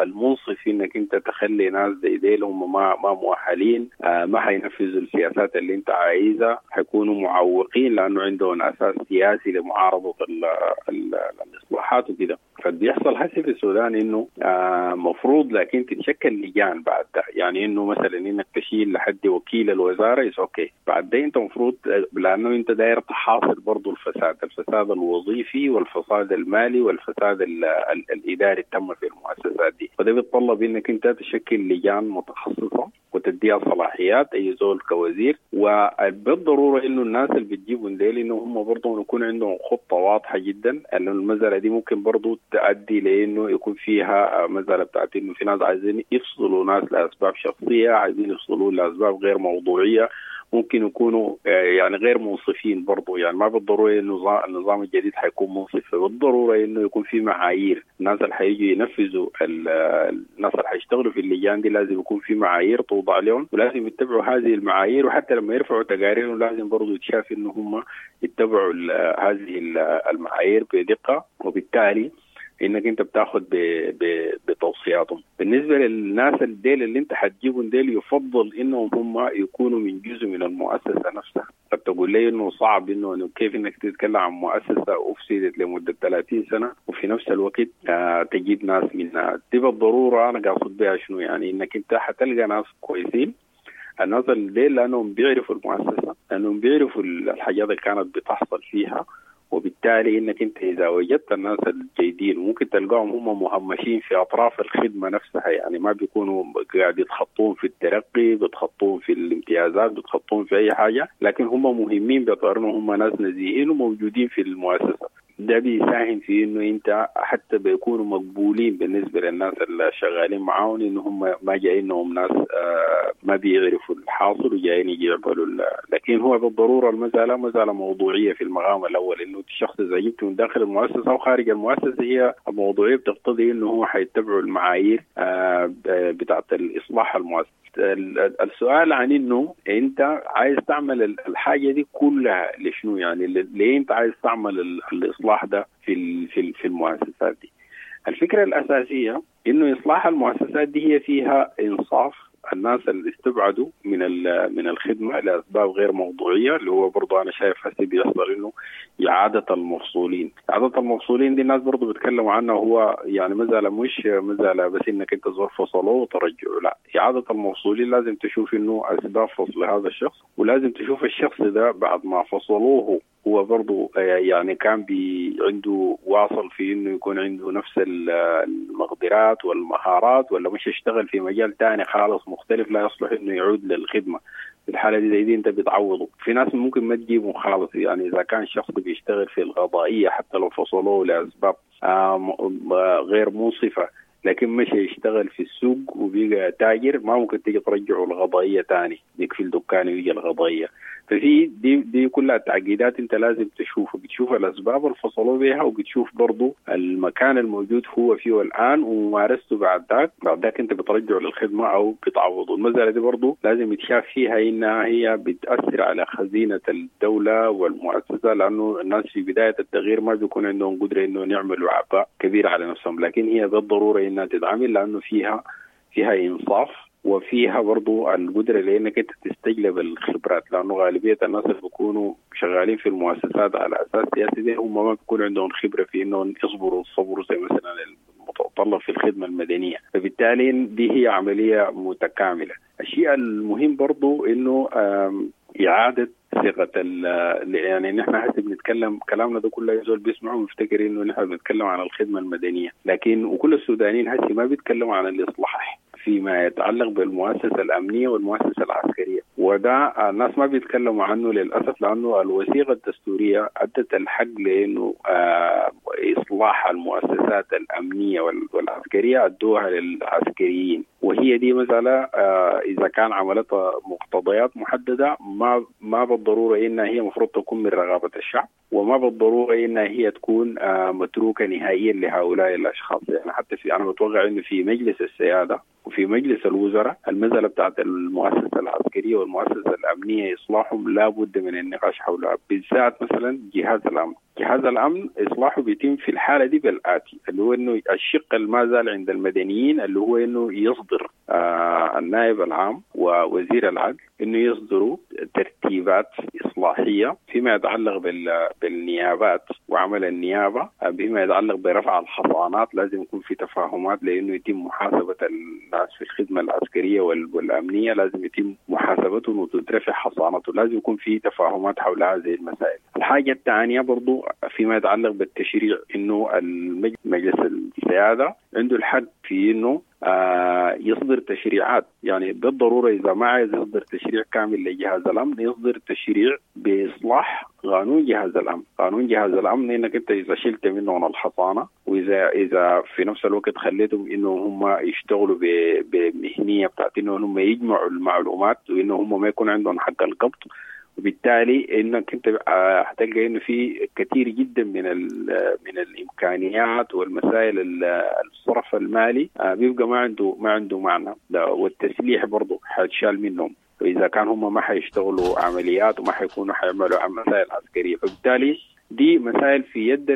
المنصف انك انت تخلي ناس زي ديل هم ما ما مؤهلين، آه ما حينفذوا السياسات اللي انت عايزها، حيكونوا معوقين لانه عندهم اساس سياسي لمعارضه ال ال الاصلاحات وكده. فبيحصل هسه في السودان انه آه مفروض لكن تتشكل لجان بعد ده، يعني انه مثلا انك تشيل لحد وكيل الوزارة is okay، بعد ده انت مفروض لانه انت داير تحاصر برضه الفساد، الفساد الوظيفي والفساد المالي والفساد ال ال الاداري التم في المؤسسات دي، فده بيتطلب انك انت تشكل لجان متخصصة وتديها صلاحيات اي زول كوزير، وبالضروره انه الناس اللي بتجيبهم ديل انه هم برضه يكون عندهم خطه واضحة جدا، انه المسالة دي ممكن برضه تؤدي لانه يكون فيها مسالة بتاعت انه في ناس عايزين يفصلوا ناس لاسباب شخصية، عايزين يفصلوا لاسباب غير موضوعية، ممكن يكونوا يعني غير منصفين برضو. يعني ما بالضرورة انه النظام الجديد حيكون منصف، بالضرورة انه يكون في معايير، الناس اللي حيجوا ينفذوا، الناس اللي حيشتغلوا في اللجان دي لازم يكون في معايير توضع لهم ولازم يتبعوا هذه المعايير، وحتى لما يرفعوا تقاريرهم لازم برضو يتشاف انه هم يتبعوا هذه المعايير بدقة، وبالتالي انك انت بتاخد بتوصياتهم. بالنسبة للناس الديل اللي انت حتجيبهم ديل يفضل انهم هم يكونوا من جزء من المؤسسة نفسها. طب تقول لي انه صعب انه كيف انك تتكلم عن مؤسسة افسدت لمدة ثلاثين سنة وفي نفس الوقت آه تجيب ناس منها. دي بالضرورة انا قاصد بها شنو؟ يعني انك انت حتلقى ناس كويسين، الناس الليل لانهم بيعرفوا المؤسسة، لانهم بيعرفوا الحاجات اللي كانت بتحصل فيها، وبالتالي انك انت اذا وجدت الناس الجيدين ممكن تلقاهم هم مهمشين في اطراف الخدمة نفسها، يعني ما بيكونوا قاعد يتخطون في الترقي، بيتخطون في الامتيازات، بيتخطون في اي حاجة، لكن هم مهمين باعتبار انهم هم ناس نزيهين وموجودين في المؤسسة. ده بيساهم في انه انت حتى بيكونوا مقبولين بالنسبة للناس اللي شغالين معاهم، انه هم ما جايينهم ناس ما بيعرفوا الحاصل وجايين يجي يعملوا. لكن هو بالضرورة المسالة مسالة موضوعية في المقام الاول، انه الشخص اذا جبته من داخل المؤسسة او خارج المؤسسة هي الموضوعية بتقتضي انه هو حيتبعوا المعايير بتاعه الاصلاح المؤسسي. السؤال عن انه انت عايز تعمل الحاجة دي كلها لشنو؟ يعني ليه انت عايز تعمل الاصلاح ده في في في المؤسسات دي؟ الفكرة الاساسية انه اصلاح المؤسسات دي هي فيها انصاف الناس اللي استبعدوا من من الخدمة لاسباب غير موضوعية، اللي هو برضه انا شايف هسه بيحصل انه اعاده المفصولين، اعاده المفصولين دي الناس برضه بيتكلموا عنها، هو يعني مسالة مش مسالة بس انك انت زور فصلوه وترجعه، لا، اعاده المفصولين لازم تشوف انه اسباب فصل هذا الشخص، ولازم تشوف الشخص ده بعد ما فصلوه هو برضه يعني كان بي عنده واصل في انه يكون عنده نفس المقدرات والمهارات، ولا مش يشتغل في مجال تاني خالص مختلف لا يصلح انه يعود للخدمة. في الحالة دي زي دي انت بتعوضه. في ناس ممكن ما تجيبه خالص، يعني اذا كان شخص بيشتغل في القضائية حتى لو فصلوه لاسباب غير منصفة، لكن مش يشتغل في السوق وبيبقى تاجر، ما ممكن تيجي ترجعه القضائية تاني، يكفي الدكان ويجي القضائية. ففي دي دي كلها تعقيدات انت لازم تشوفه، بتشوف الاسباب اللي فصلوا بها، وبتشوف برضو المكان الموجود هو فيه الان وممارسته بعد ذاك، بعد ذاك انت بترجعه للخدمة او بتعوضه. المسالة دي برضو لازم يتشاف فيها انها هي بتاثر على خزينة الدولة والمؤسسة، لانه الناس في بداية التغيير ما بيكون عندهم قدره انه يعملوا عباء كبير على نفسهم، لكن هي بالضرورة انها تتعمل لانه فيها فيها انصاف وفيها برضو القدرة لأنك أنت تستجلب الخبرات، لأنه غالبية الناس اللي بيكونوا شغالين في المؤسسات على أساس سياسي دي هم ما بيكون عندهم خبرة في إنهم يصبروا الصبر زي مثلا المتطلب في الخدمة المدنية، فبالتالي دي هي عملية متكاملة. الشيء المهم برضو إنه إعادة صيغة يعني نحن هسه بنتكلم كلامنا ده كله زول بيسمعه ويفتكر إنه نحن بنتكلم عن الخدمة المدنية، لكن وكل السودانيين هسه ما بيتكلموا عن الإصلاح فيما يتعلق بالمؤسسة الأمنية والمؤسسة العسكرية، وده الناس ما بيتكلموا عنه للأسف، لأنه الوثيقة الدستورية أدت الحق لأنه إصلاح المؤسسات الأمنية والعسكرية أدوها للعسكريين، وهي دي مسألة إذا كان عملتها مقتضيات محددة ما ما بالضرورة إنها هي مفروض تكون من رغبة الشعب، وما بالضرورة إنها هي تكون متروكة نهائيا لهؤلاء الأشخاص. يعني حتى في أنا بتوقع إنه في مجلس السيادة وفي مجلس الوزراء المسألة بتاعت المؤسسة العسكرية والمؤسسة الأمنية إصلاحهم لا بد من النقاش حولها، بالذات مثلا جهاز الأمن. جهاز الأمن إصلاحه بيتم في الحالة دي بالآتي، اللي هو إنه الشق اللي ما زال عند المدنيين اللي هو إنه يصدر آه النائب العام ووزير العدل إنه يصدروا ترتيبات إصلاحية فيما يتعلق بالنيابات وعمل النيابة، بما يتعلق برفع الحصانات، لازم يكون في تفاهمات لأنه يتم محاسبة الناس في الخدمة العسكرية والأمنية، لازم يتم محاسبتهم وتترفع حصانته، لازم يكون في تفاهمات حول هذه المسائل. الحاجة الثانية برضو فيما يتعلق بالتشريع، إنه مجلس السيادة عنده الحق في إنه آه يصدر تشريعات، يعني بالضرورة إذا ما عايز يصدر تشريع كامل لجهاز الأمن يصدر تشريع بإصلاح قانون جهاز الأمن. قانون جهاز الأمن إنك أنت إذا شلت منهم الحصانة، وإذا إذا في نفس الوقت خليتهم إنه هم يشتغلوا بمهنية بتاعت إنه هم يجمعوا المعلومات وإنه هم ما يكون عندهم حق القبض، وبالتالي انك انت هتلقى انه في كثير جدا من من الامكانيات والمسائل الصرف المالي بيبقى ما عنده ما عنده معنى، والتسليح برضه حيتشال منهم واذا كان هم ما حيشتغلوا عمليات وما حيكونوا حيعملوا مسائل عسكرية، فبالتالي دي مسائل في يد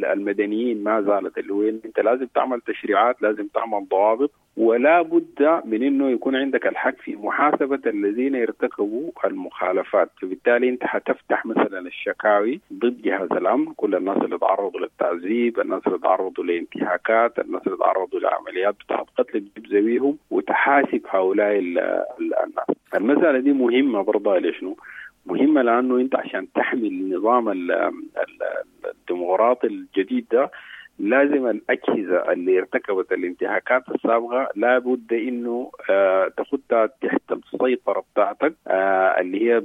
المدنيين ما زالت، اللي هو انت لازم تعمل تشريعات، لازم تعمل ضوابط، ولا بد من انه يكون عندك الحق في محاسبه الذين ارتكبوا المخالفات. فبالتالي انت حتفتح مثلا الشكاوي ضد جهاز الامن، كل الناس اللي تعرضوا للتعذيب، الناس اللي تعرضوا لانتهاكات، الناس اللي تعرضوا لعمليات بتاعت قتل، تجيب زويهم وتحاسب هؤلاء الناس. المسالة دي مهمة برضه. لشنو مهمة؟ لأنه أنت عشان تحمي النظام الديمقراطي الجديد ده لازم الأجهزة اللي ارتكبت الانتهاكات السابقة لابد إنه آه تاخدها تحت السيطرة بتاعتك، آه اللي هي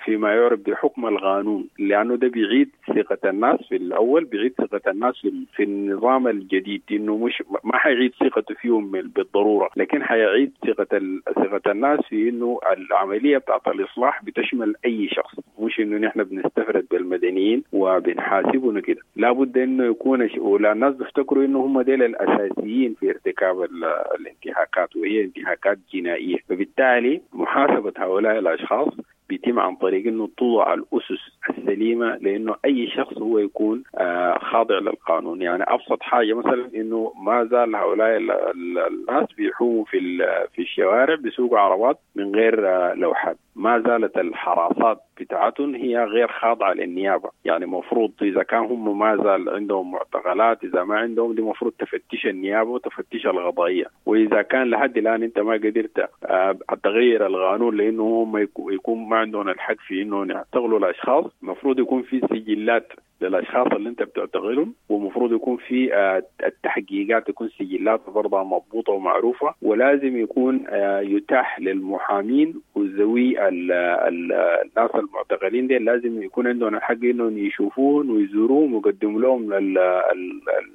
فيما يعرف بحكم القانون، لأنه ده بيعيد ثقة الناس في الأول، بيعيد ثقة الناس في النظام الجديد، إنه مش ما حيعيد ثقته فيهم بالضرورة، لكن حيعيد ثقة ثقة الناس في إنه العملية بتاعت الإصلاح بتشمل أي شخص، مش إنه نحن بنستفرد بالمدنيين وبنحاسبهم كده. لابد إنه يكون ولا الناس بيفتكروا انه هم ديل الاساسيين في ارتكاب الانتهاكات، وهي انتهاكات جنائية، فبالتالي محاسبه هؤلاء الاشخاص بيتم عن طريق انه توضع الاسس السليمة، لانه اي شخص هو يكون آه خاضع للقانون. يعني ابسط حاجة مثلا انه ما زال هؤلاء الناس بيحوموا في في الشوارع بيسوقوا عربات من غير آه لوحات، ما زالت الحراسات بتاعتهم هي غير خاضعة للنيابه، يعني مفروض اذا كان هم ما زال عندهم معتقلات، اذا ما عندهم دي مفروض تفتش النيابة وتفتش القضائية، واذا كان لحد الان انت ما قدرت آه تغير القانون لانه هم يكون ما عندهم الحق في انه يعتقلوا الاشخاص، المفروض يكون في سجلات للاشخاص اللي انت بتعتقلهم، ومفروض يكون في التحقيقات تكون سجلات برضه مضبوطة ومعروفة، ولازم يكون يتاح للمحامين وذوي الناس المعتقلين دي لازم يكون عندهم الحق انهم يشوفوهم ويزوروهم ويقدموا لهم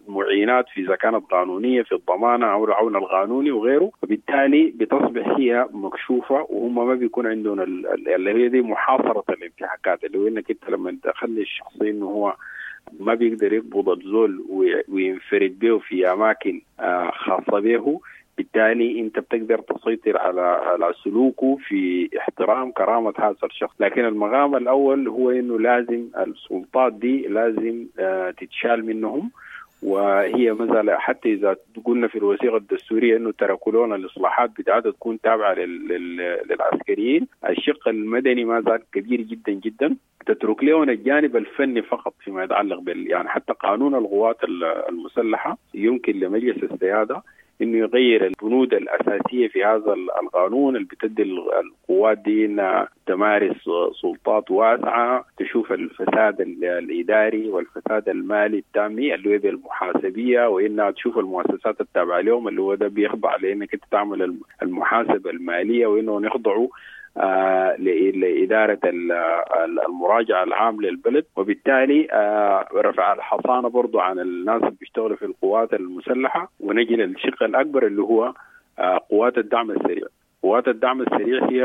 المعينات في اذا كانت قانونية في الضمانة او العون القانوني وغيره. وبالتالي بتصبح هي مكشوفة، وهم ما بيكون عندهم اللي هي دي محاصرة الانتهاكات، اللي هو انك انت لما تخلي الشخص انه هو ما بيقدر يقبض الزول وينفرد به في اماكن خاصة به، بالتالي انت بتقدر تسيطر على على سلوكه في احترام كرامة هذا الشخص. لكن المقام الاول هو انه لازم السلطات دي لازم تتشال منهم، وهي مثلا حتى اذا قلنا في الوثيقة الدستورية انه تركوا لنا الاصلاحات بتاعتها تكون تابعه للعسكريين، الشق المدني ما زال كبير جدا جدا، تترك لهم الجانب الفني فقط فيما يتعلق بال يعني حتى قانون القوات المسلحة يمكن لمجلس السيادة انه يغير البنود الاساسية في هذا القانون اللي بتدي القوات دي انها تمارس سلطات واسعة، تشوف الفساد الاداري والفساد المالي التامي اللي هو بالمحاسبيه، وانها تشوف المؤسسات التابعة لهم اللي هو ده بيخضع لانك انت تعمل المحاسبة المالية، وانه يخضعوا آه لإدارة المراجعة العام للبلد. وبالتالي آه رفع الحصانة برضو عن الناس اللي بيشتغلوا في القوات المسلحة. ونجي للشق الأكبر اللي هو آه قوات الدعم السريع. قوات الدعم السريع هي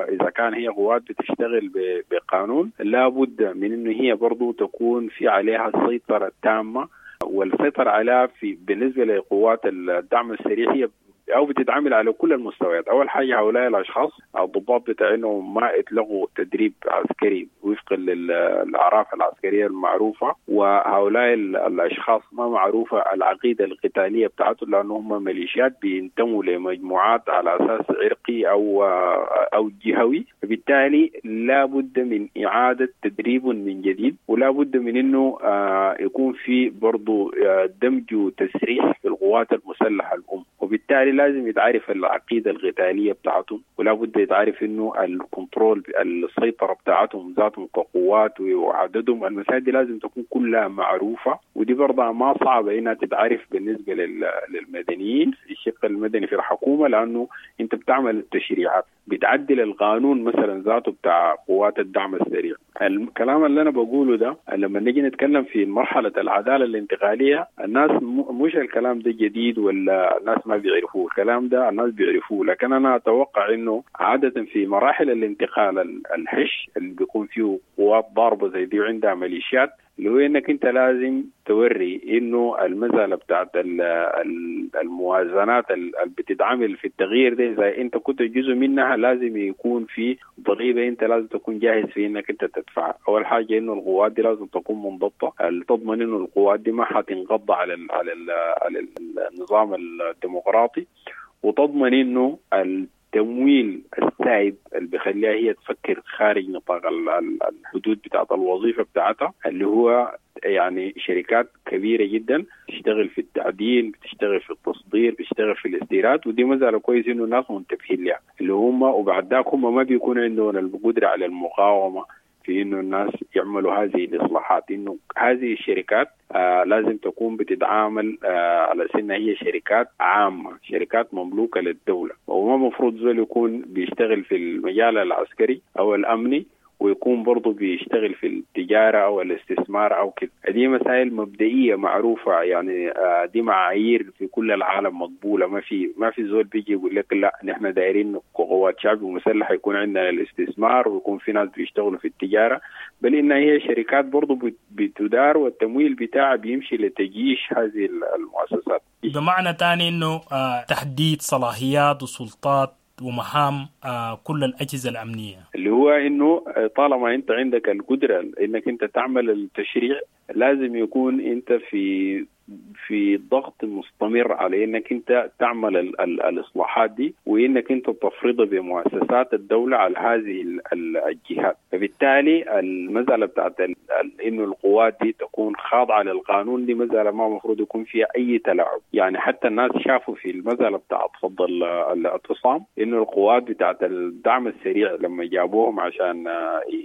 إذا كان هي قوات بتشتغل بقانون لابد من إنه هي برضو تكون في عليها السيطرة التامة، والسيطرة عليها في بالنسبة لقوات الدعم السريع هي أو بتتعامل على كل المستويات. أول حاجة هؤلاء الأشخاص الضباط بتاعينهم ما اتلغوا تدريب عسكري وفقا للأعراف العسكرية المعروفة، وهؤلاء الأشخاص ما معروفة العقيدة القتالية بتاعتهم لأنهم هم ميليشيات بينتموا لمجموعات على أساس عرقي أو أو جهوي، فبالتالي لا بد من إعادة تدريب من جديد، ولا بد من إنه يكون في برضو دمج وتسريح في القوات المسلحة الأم، وبالتالي لازم يتعرف العقيدة القتالية بتاعتهم، ولا بد يتعرف إنه الكنترول السيطرة بتاعتهم ذاتهم كقوات وعددهم، المسائل دي لازم تكون كلها معروفة، ودي برضه ما صعبة إنها تتعرف بالنسبة للمدنيين في الشق المدني في الحكومة، لأنه أنت بتعمل التشريعات بتعدل القانون مثلا ذاته بتاع قوات الدعم السريع. الكلام اللي أنا بقوله ده لما نيجي نتكلم في مرحلة العدالة الانتقالية الناس مش الكلام ده جديد ولا الناس ما بيعرفوه، الكلام ده الناس بيعرفوه، لكن أنا أتوقع إنه عادة في مراحل الانتقال الحش اللي بيكون فيه قوات ضاربة زي دي وعندها ميليشيات اللي هو انك انت لازم توري انه المسالة بتاعت الموازنات اللي بتتعمل في التغيير ده اذا انت كنت جزء منها لازم يكون في ضريبة انت لازم تكون جاهز في انك انت تدفعها. اول حاجة انه القوات دي لازم تكون منضبطة، تضمن انه القوات دي ما حتنقض على ال على ال على النظام الديمقراطي، وتضمن انه التمويل السائب اللي بيخليها هي تفكر خارج نطاق الحدود بتاعت الوظيفة بتاعتها، اللي هو يعني شركات كبيرة جدا بتشتغل في التعدين، بتشتغل في التصدير، بتشتغل في الاستيراد، ودي مسألة كويس انه الناس منتبهين لها اللي هم، وبعد ذاك هم ما بيكون عندهم القدرة على المقاومة في انه الناس يعملوا هذه الاصلاحات. انه هذه الشركات آه لازم تكون بتتعامل آه على انها هي شركات عامة، شركات مملوكة للدولة، وما مفروض زول يكون بيشتغل في المجال العسكري او الامني ويكون برضه بيشتغل في التجارة أو الاستثمار أو كده. دي مسائل مبدئية معروفة، يعني دي معايير في كل العالم مقبولة. ما في ما في زول بيجي يقول لك لا نحن دايرين قوات شعب مسلحة يكون عندنا الاستثمار ويكون في ناس بيشتغلوا في التجارة، بل إن هي شركات برضه بتدار والتمويل بتاعها بيمشي لتجيش هذه المؤسسات. بمعنى تاني إنه تحديد صلاحيات وسلطات ومهام كل الأجهزة الأمنية، اللي هو إنه طالما أنت عندك القدرة إنك أنت تعمل التشريع لازم يكون أنت في في ضغط مستمر على إنك أنت تعمل ال ال الإصلاحات دي، وإنك أنت تفرضها بمؤسسات الدولة على هذه الجهات. فبالتالي المسألة بتاعت إنه القوات دي تكون خاضعة للقانون دي مسألة ما مفروض يكون فيها أي تلاعب. يعني حتى الناس شافوا في المسألة بتاعت فض الاعتصام إنه القوات بتاعت الدعم السريع لما جابوهم عشان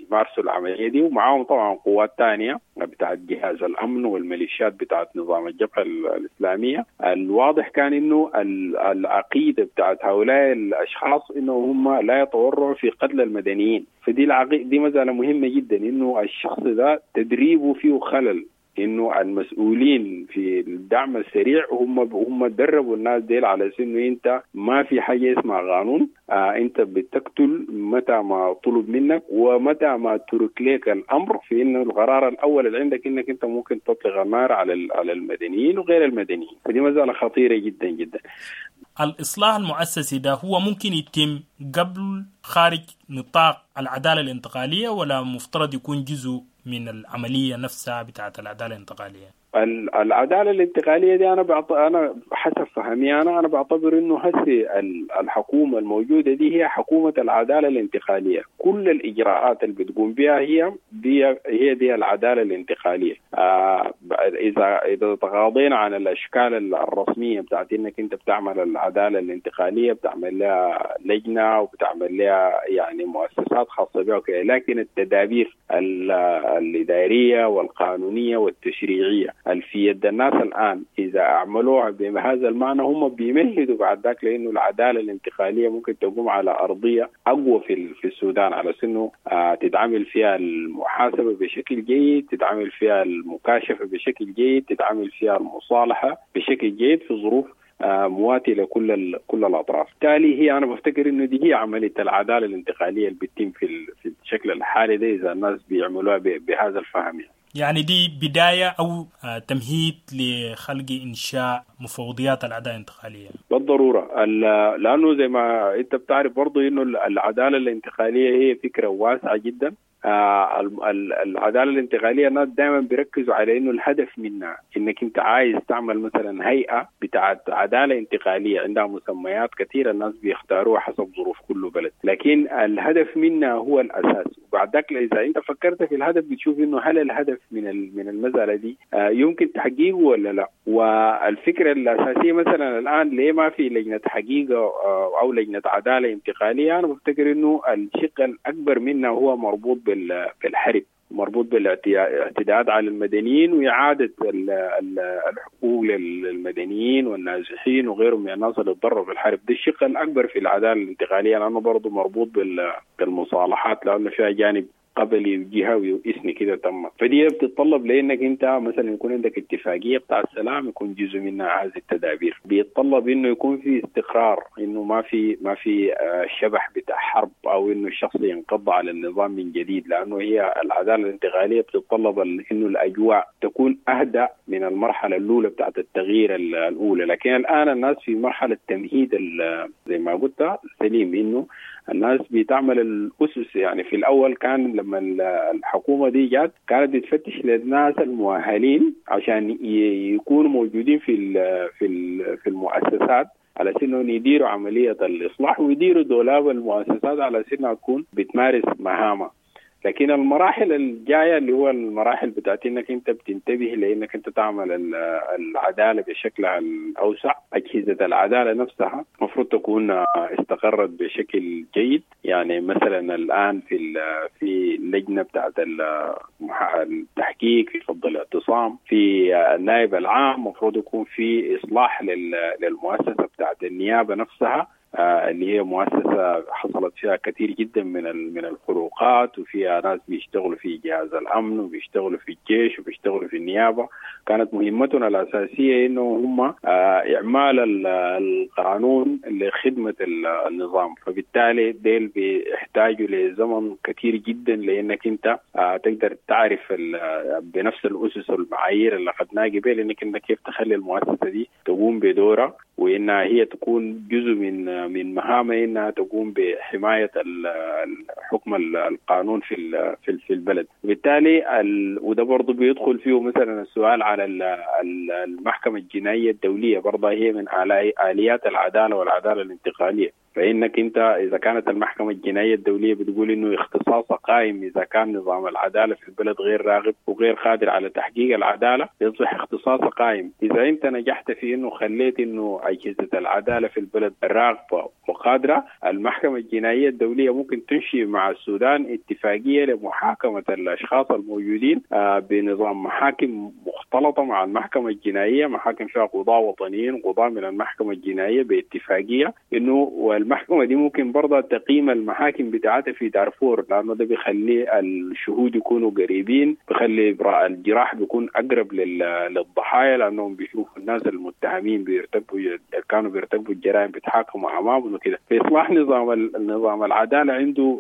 يمارسوا العملية دي، ومعاهم طبعا قوات تانية بتاعت جهاز الأمن والميليشيات بتاعت نظام الجبهة الإسلامية، الواضح كان إنه العقيدة بتاعت هؤلاء الأشخاص إنه هم لا يتورعوا في قتل المدنيين. فدي العقيدة دي مسألة مهمة جدا، إنه الشخص ده تدريبه فيه خلل، إنه المسؤولين في الدعم السريع هم هم دربوا الناس ديل على إنه أنت ما في حاجة اسمها قانون، آه أنت بتقتل متى ما طلب منك ومتى ما ترك لك الأمر، في إنه القرار الأول اللي عندك إنك أنت ممكن تطلق النار على على المدنيين وغير المدنيين. فدي مسألة خطيرة جدا جدا. الإصلاح المؤسسي ده هو ممكن يتم قبل خارج نطاق العدالة الانتقالية، ولا مفترض يكون جزء من العملية نفسها بتاعت العدالة الانتقالية؟ العدالة الانتقالية دي أنا بعط... أنا حسب فهمي أنا أنا بعتبر إنه هسي الحكومة الموجودة دي هي حكومة العدالة الانتقالية. كل الإجراءات اللي بتقوم بها هي دي هي دي العدالة الانتقالية. آه إذا إذا تغاضينا عن الأشكال الرسمية بتاعت إنك أنت بتعمل العدالة الانتقالية، بتعمل لها لجنة وبتعمل لها يعني مؤسسات خاصة بها وكذا، لكن التدابير الإدارية والقانونية والتشريعية في يد الناس الآن إذا أعملوها بهذا المعنى هم بيمهدوا بعد ذاك، لأنه العدالة الانتقالية ممكن تقوم على أرضية أقوى في في السودان، على أنه تتعامل فيها المحاسبة بشكل جيد، تتعامل فيها المكاشفة بشكل جيد، تتعامل فيها المصالحة بشكل جيد في ظروف مواتية لكل كل الأطراف. بالتالي هي أنا بفتكر إنه دي هي عملية العدالة الانتقالية اللي بتتم في في الشكل الحالي ده إذا الناس بيعملوها بهذا الفهم. يعني يعني دي بداية أو تمهيد لخلق إنشاء مفوضيات العدالة الانتقالية بالضرورة، لأنه زي ما أنت بتعرف برضو إنه العدالة الانتقالية هي فكرة واسعة جدا. العدالة الانتقالية الناس دائما بيركزوا على إنه الهدف منها إنك أنت عايز تعمل مثلا هيئة بتاعت عدالة انتقالية عندها مسميات كثيرة الناس بيختاروها حسب ظروف كل بلد، لكن الهدف منها هو الأساس. وبعد ذاك إذا أنت فكرت في الهدف بتشوف إنه هل الهدف من من المسألة دي يمكن تحقيقه ولا لا. والفكرة الأساسية مثلا الآن ليه ما في لجنة حقيقة أو لجنة عدالة انتقالية؟ أنا بفتكر إنه الشق الأكبر منها هو مربوط بال بالحرب، مربوط بالاعتداءات على المدنيين وإعادة الحقوق للمدنيين والنازحين وغيرهم من الناس اللي تضرروا في الحرب. ده الشق الأكبر في العدالة الانتقالية، لأنه برضه مربوط بالمصالحات، لأنه فيها جانب قبلي وجهوي وإثني كده تم. فدي بتتطلب لأنك أنت مثلا يكون عندك اتفاقية بتاع السلام يكون جزء منها هذه التدابير. بيتطلب إنه يكون في استقرار، إنه ما في ما في شبح بتاع حرب أو إنه الشخص ينقض على النظام من جديد، لأنه هي العدالة الانتقالية بتتطلب إنه الأجواء تكون أهدأ من المرحلة الأولى بتاعت التغيير الأولى. لكن الآن الناس في مرحلة تمهيد زي ما قلت سليم، إنه الناس بتعمل الأسس. يعني في الأول كان لما الحكومة دي جات كانت بتفتش للناس المؤهلين عشان يكونوا موجودين في في في المؤسسات على أساس إنهم يديروا عملية الإصلاح ويديروا دولاب المؤسسات على أساس إنها تكون بتمارس مهامها. لكن المراحل الجاية اللي هو المراحل بتاعت انك انت بتنتبه لانك انت تعمل العدالة بشكلها الاوسع. اجهزة العدالة نفسها المفروض تكون استقرت بشكل جيد. يعني مثلا الان في في اللجنة بتاعت التحقيق في فض الاعتصام، في النائب العام المفروض يكون في اصلاح للمؤسسة بتاعت النيابة نفسها اللي هي مؤسسة حصلت فيها كثير جدا من من الخروقات، وفيها ناس بيشتغلوا في جهاز الأمن وبيشتغلوا في الجيش وبيشتغلوا في النيابة. كانت مهمتنا الأساسية إنه هم إعمال القانون لخدمة النظام، فبالتالي ديل بيحتاجوا لزمن كثير جدا لأنك أنت تقدر تعرف بنفس الأسس والمعايير اللي أخذناها قبل إنك أنت كيف تخلي المؤسسة دي تقوم بدورها، وإنها هي تكون جزء من من مهامها انها تقوم بحمايه الحكم القانون في في البلد. وبالتالي وده برضه بيدخل فيه مثلا السؤال على المحكمه الجنائيه الدوليه، برضه هي من اليات العداله والعداله الانتقاليه. فإنك أنت إذا كانت المحكمة الجنائية الدولية بتقول إنه اختصاصها قائم إذا كان نظام العدالة في البلد غير راغب وغير قادر على تحقيق العدالة، يصبح اختصاصها قائم. إذا أنت نجحت في إنه خليت إنه أجهزة العدالة في البلد راغبة وقادرة، المحكمة الجنائية الدولية ممكن تنشئ مع السودان اتفاقية لمحاكمة الأشخاص الموجودين بنظام محاكم مختلطة مع المحكمة الجنائية، محاكم فيها قضاة وطنيين قضاة من المحكمة الجنائية باتفاقية إنه. والمحكمة دي ممكن برضه تقيم المحاكم بتاعتها في دارفور، لأنه ده بيخلي الشهود يكونوا قريبين، بيخلي الجراح بيكون أقرب للضحايا، لأنهم بيشوفوا الناس المتهمين بيرتكبوا كانوا بيرتكبوا الجرائم بيتحاكموا أمامهم وكده. في إصلاح نظام النظام العدالة عنده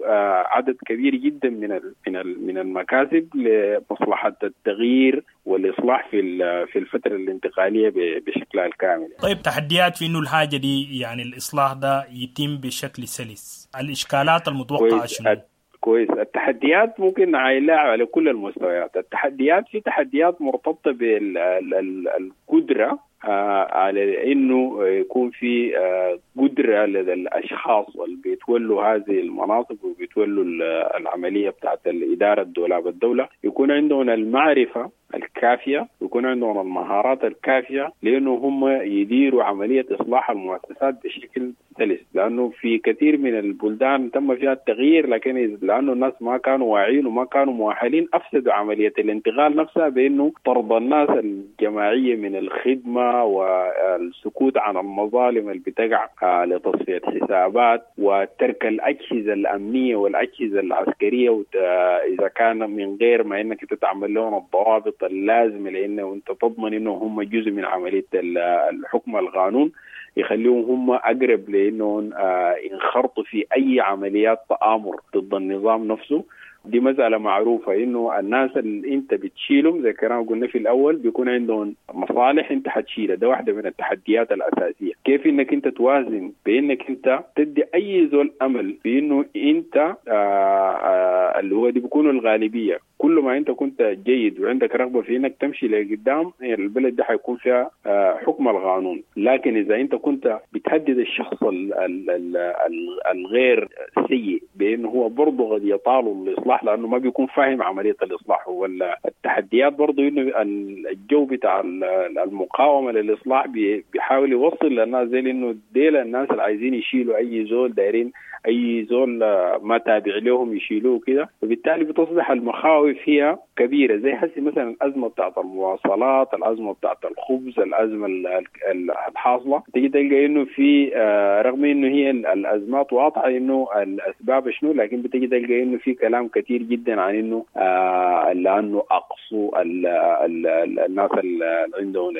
عدد كبير جدا من من من المكاسب لمصلحة التغيير والإصلاح في في الفترة الانتقالية بشكلها الكامل. طيب، تحديات في إنه الحاجة دي يعني الإصلاح ده يتم بشكل سلس، الإشكالات المتوقعة شنو؟ كويس، التحديات ممكن نعايلها على كل المستويات. التحديات في تحديات مرتبطة بالقدرة على انه يكون في قدره لدى الاشخاص اللي بيتولوا هذه المناصب وبيتولوا العمليه بتاعت الاداره الدولاب الدوله، يكون عندهم المعرفه الكافيه ويكون عندهم المهارات الكافيه لانه هم يديروا عمليه اصلاح المؤسسات بشكل سلس. لانه في كثير من البلدان تم فيها التغيير، لكن لانه الناس ما كانوا واعيين وما كانوا مؤهلين افسدوا عمليه الانتقال نفسها بانه طرد الناس الجماعيه من الخدمه والسكوت عن المظالم اللي بتقع لتصفيه حسابات وترك الاجهزه الامنيه والاجهزه العسكريه اذا كان من غير ما انك تتعمل لهم الضوابط اللازمه لانه انت تضمن انه هم جزء من عمليه الحكم القانون، يخليهم هم اقرب لانهم ينخرطوا في اي عمليات تآمر ضد النظام نفسه. دي مسألة معروفة إنه الناس اللي أنت بتشيلهم زي كلام قلنا في الأول بيكون عندهم مصالح أنت حتشيلها. ده واحدة من التحديات الأساسية، كيف إنك أنت توازن بإنك أنت تدي أي زول أمل بإنه أنت آآ آآ اللي هو دي بيكونوا الغالبية. كل ما أنت كنت جيد وعندك رغبة في إنك تمشي لقدام البلد ده حيكون فيها حكم القانون. لكن إذا أنت كنت بتهدد الشخص ال ال ال الغير سيء بإنه هو برضه قد يطاله الإصلاح لأنه ما بيكون فاهم عملية الإصلاح، ولا التحديات برضه إنه الجو بتاع المقاومة للإصلاح بيحاول يوصل للناس زي إنه ديل الناس اللي عايزين يشيلوا أي زول دايرين اي زول ما تابع لهم يشيلوه كده. فبالتالي بتصبح المخاوف هي كبيرة، زي هسي مثلا الازمة بتاعت المواصلات، الازمة بتاعت الخبز، الازمة الحاصلة، تيجي تلقى انه في رغم انه هي الازمات واضحة انه الاسباب شنو، لكن بتيجي تلقى انه في كلام كثير جدا عن انه لانه اقصوا الناس اللي عندهم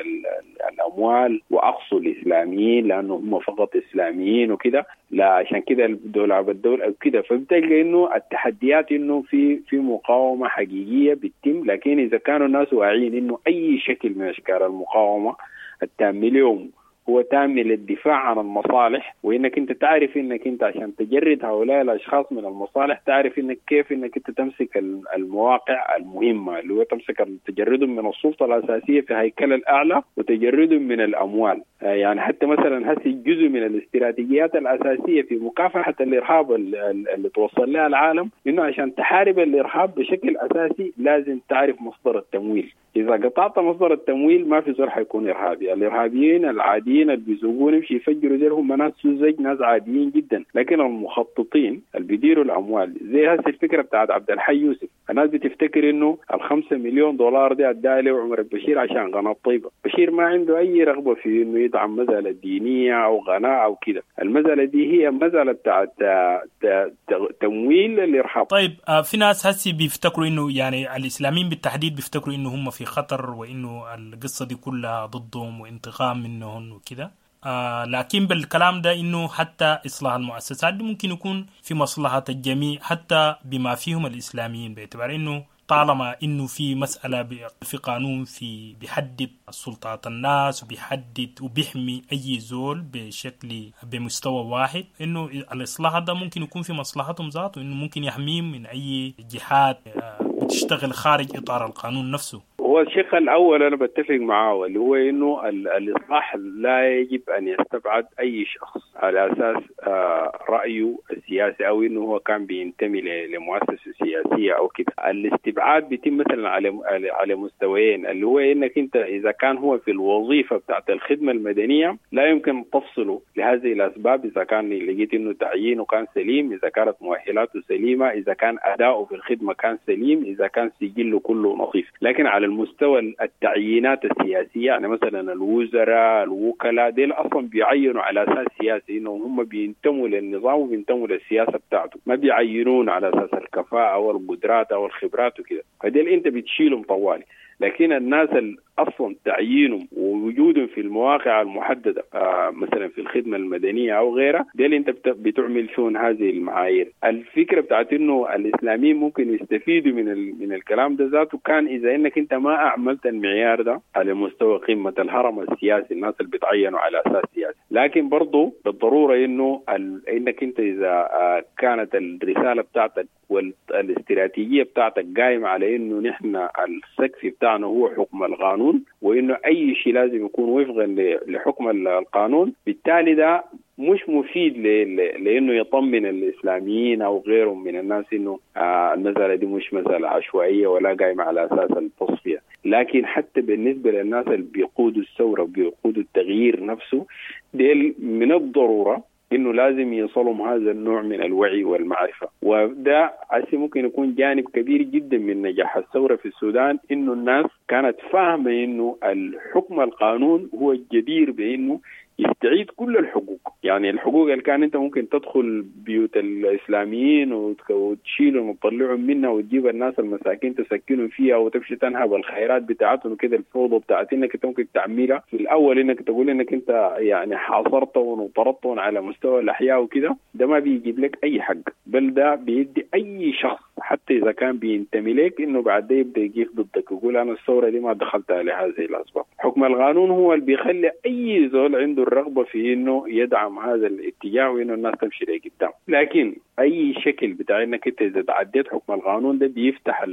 الاموال واقصوا الاسلاميين لانه هم فقط اسلاميين وكده، لا عشان كده الدولاب الدولة كده. فبتلقى انه التحديات انه في في مقاومة حقيقية بتتم، لكن اذا كانوا الناس واعيين انه اي شكل من اشكال المقاومة التام اليوم هو تام للدفاع عن المصالح، وانك انت تعرف انك انت عشان تجرد هؤلاء الاشخاص من المصالح تعرف انك كيف انك انت تمسك المواقع المهمة اللي هو تمسك تجردهم من السلطة الاساسية في هيكل الاعلى وتجردهم من الاموال. يعني حتى مثلا هسه جزء من الاستراتيجيات الاساسية في مكافحة الارهاب اللي توصل لها العالم انه عشان تحارب الارهاب بشكل اساسي لازم تعرف مصدر التمويل. اذا قطعت مصدر التمويل ما في زول حيكون ارهابي. الارهابيين العاديين اللي بيزوقون يمشي يفجروا زي هم ناس سذج، ناس عاديين جدا، لكن المخططين اللي بيديروا الاموال زي هسه الفكرة بتاعت عبد الحي يوسف، الناس بتفتكر انه الخمسة مليون دولار دي اداها له عمر البشير عشان قناة طيبة. بشير ما عنده اي رغبة في انه يدعم مسالة دينية او قناة او كده، المسالة دي هي مسالة بتاعت تمويل الارهاب. طيب في ناس هسي بيفتكروا انه يعني الاسلاميين بالتحديد بيفتكروا انه هم في خطر وانه القصة دي كلها ضدهم وانتقام منهم وكده، آه لكن بالكلام ده انه حتى اصلاح المؤسسات دي ممكن يكون في مصلحة الجميع حتى بما فيهم الاسلاميين، باعتبار انه طالما انه في مسالة في قانون في بيحدد سلطات الناس وبيحدد وبيحمي اي زول بشكل بمستوى واحد، انه الاصلاح ده ممكن يكون في مصلحتهم ذاته، انه ممكن يحميهم من اي جهات بتشتغل خارج اطار القانون نفسه. هو الشق الأول أنا بتفق معه اللي هو إنه الإصلاح لا يجب أن يستبعد أي شخص على أساس رأيه السياسي أو إنه هو كان بينتمي لمؤسسة سياسية أو كده. الاستبعاد بيتم مثلا على على مستويين، اللي هو إنك أنت إذا كان هو في الوظيفة بتاعت الخدمة المدنية لا يمكن تفصله لهذه الأسباب، إذا كان لقيت إنه تعيينه كان سليم، إذا كانت مؤهلاته سليمة، إذا كان أداؤه في الخدمة كان سليم، إذا كان سجله كله نظيف. لكن على مستوى التعيينات السياسية، يعني مثلا الوزراء الوكلاء ديل أصلا بيعينوا على أساس سياسي، إنهم هم بينتموا للنظام وبينتموا للسياسة بتاعته، ما بيعينون على أساس الكفاءة أو القدرات أو الخبرات وكده، فديل أنت بتشيلهم طوالي. لكن الناس اللي اصلا تعيينهم ووجودهم في المواقع المحددة آه مثلا في الخدمة المدنية او غيرها، دي انت بتعمل فيهم هذه المعايير. الفكرة بتاعت انه الاسلاميين ممكن يستفيدوا من من الكلام ده ذاته كان اذا انك انت ما اعملت المعيار ده على مستوى قمة الهرم السياسي، الناس اللي بيتعينوا على اساس سياسي. لكن برضه بالضرورة انه انك انت اذا آه كانت الرسالة بتاعتك والاستراتيجيه بتاعتك قايمة على انه نحن السقف بتاعنا هو حكم القانون، وانه اي شيء لازم يكون وفقا لحكم القانون، بالتالي ده مش مفيد لانه يطمن الاسلاميين او غيرهم من الناس انه المسالة دي مش مسالة عشوائية ولا قايمة على اساس التصفية. لكن حتى بالنسبة للناس اللي بيقودوا الثورة وبيقودوا التغيير نفسه، ديل من الضرورة انه لازم يصلهم هذا النوع من الوعي والمعرفة، وده عسي ممكن يكون جانب كبير جدا من نجاح الثورة في السودان، انه الناس كانت فاهمه انه الحكم القانون هو الجدير بانه يستعيد كل الحقوق. يعني الحقوق اللي كان انت ممكن تدخل بيوت الاسلاميين وتشيلهم وتطلعهم منها وتجيب الناس المساكين تسكنهم فيها وتمشي تنهب الخيرات بتاعتهم وكده، الفوضى بتاعت انك انت ممكن تعملها في الاول انك تقول انك انت يعني حاصرتهم وطردتهم على مستوى الاحياء وكده، ده ما بيجيب لك اي حق، بل ده بيدي اي شخص حتى اذا كان بينتمي لك انه بعد ده يبدا يقف ضدك ويقول انا الثورة دي ما دخلتها لهذه الاسباب. حكم القانون هو اللي بيخلي اي زول عنده الرغبة في انه يدعم هذا الاتجاه وانه الناس تمشي لقدام. لكن اي شكل بتاع انك انت اذا تعديت حكم القانون ده بيفتح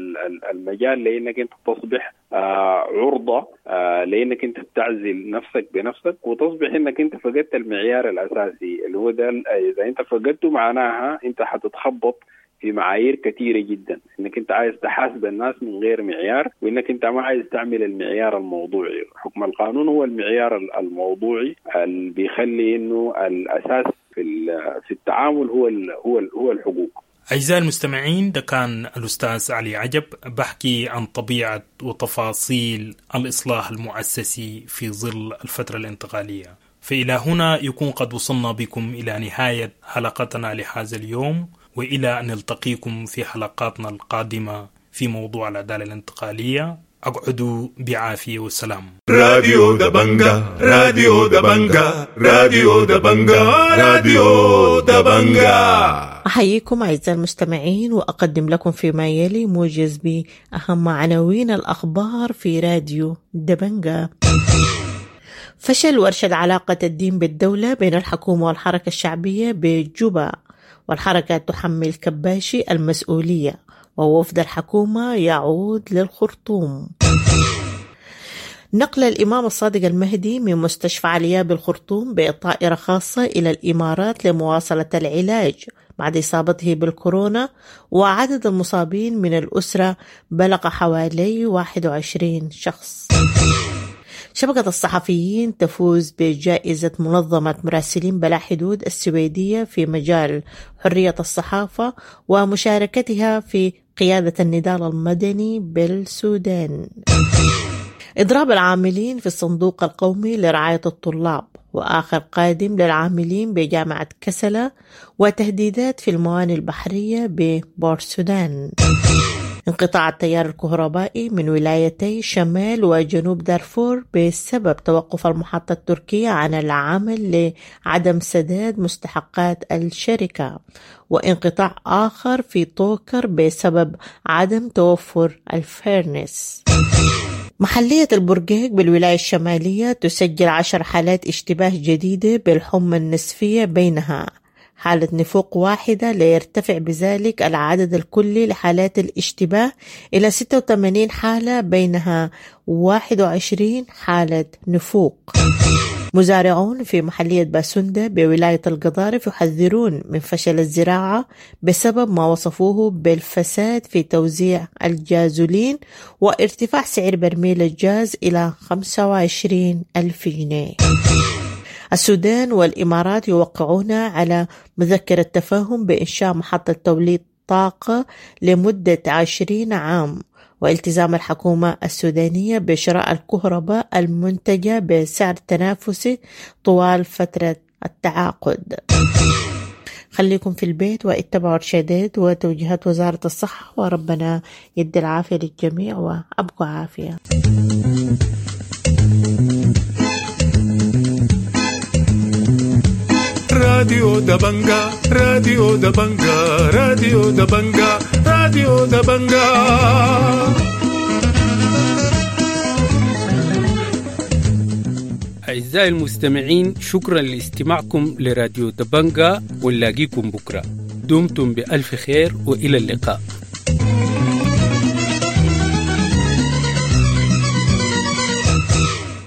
المجال لانك انت تصبح آه عرضه آه لانك انت بتعزل نفسك بنفسك، وتصبح انك انت فقدت المعيار الاساسي اللي هو ده. اذا انت فقدته معناها انت حتتخبط في معايير كثيرة جدا، انك انت عايز تحاسب الناس من غير معيار، وانك انت ما عايز تعمل المعيار الموضوعي. حكم القانون هو المعيار الموضوعي اللي بيخلي انه الاساس في في التعامل هو ال هو ال هو الحقوق. أعزائي المستمعين، ده كان الأستاذ علي عجب بحكي عن طبيعة وتفاصيل الإصلاح المؤسسي في ظل الفترة الانتقالية. فإلى هنا يكون قد وصلنا بكم إلى نهاية حلقتنا لهذا اليوم، وإلى أن نلتقيكم في حلقاتنا القادمة في موضوع العدالة الانتقالية. أقعدوا بعافية وسلام. راديو دبنجا، راديو دبنجا، راديو دبنجا، راديو دبنجا. أحييكم أعزائي المستمعين، وأقدم لكم فيما يلي موجز بأهم عناوين الأخبار في راديو دبنجا. فشل ورشة علاقة الدين بالدولة بين الحكومة والحركة الشعبية بجوبا، والحركة تحمل كباشي المسؤولية، ووفد الحكومة يعود للخرطوم. نقل الإمام الصادق المهدي من مستشفى عليا بالخرطوم بطائرة خاصة إلى الإمارات لمواصلة العلاج بعد إصابته بالكورونا، وعدد المصابين من الأسرة بلغ حوالي واحد وعشرين شخص. شبكة الصحفيين تفوز بجائزة منظمة مراسلين بلا حدود السويدية في مجال حرية الصحافة ومشاركتها في قيادة النضال المدني بالسودان. إضراب العاملين في الصندوق القومي لرعاية الطلاب، وآخر قادم للعاملين بجامعة كسلة، وتهديدات في الموانئ البحرية ببورسودان. انقطاع التيار الكهربائي من ولايتي شمال وجنوب دارفور بسبب توقف المحطة التركية عن العمل لعدم سداد مستحقات الشركة، وانقطاع آخر في طوكر بسبب عدم توفر الفيرنس. محلية البرقيق بالولاية الشمالية تسجل عشر حالات اشتباه جديدة بالحمى النسفية، بينها حالة نفوق واحدة، ليرتفع بذلك العدد الكلي لحالات الاشتباه إلى ستة وثمانين حالة، بينها واحد وعشرين حالة نفوق. مزارعون في محلية باسندة بولاية القضارف يحذرون من فشل الزراعة بسبب ما وصفوه بالفساد في توزيع الجازولين وارتفاع سعر برميل الجاز إلى خمسة وعشرين ألف جنيه. السودان والإمارات يوقعون على مذكرة تفاهم بإنشاء محطة توليد طاقة لمدة عشرين عام، والتزام الحكومة السودانية بشراء الكهرباء المنتجة بسعر تنافسي طوال فترة التعاقد. خليكم في البيت واتبعوا إرشادات وتوجيهات وزارة الصحة، وربنا يدي العافية للجميع وأبقوا عافية. راديو دبنجا، راديو دبنجا، راديو دبنجا، راديو دبنجا. أعزائي المستمعين، شكرا لاستماعكم لراديو دبنجا، ونلاقيكم بكرة. دمتم بألف خير وإلى اللقاء.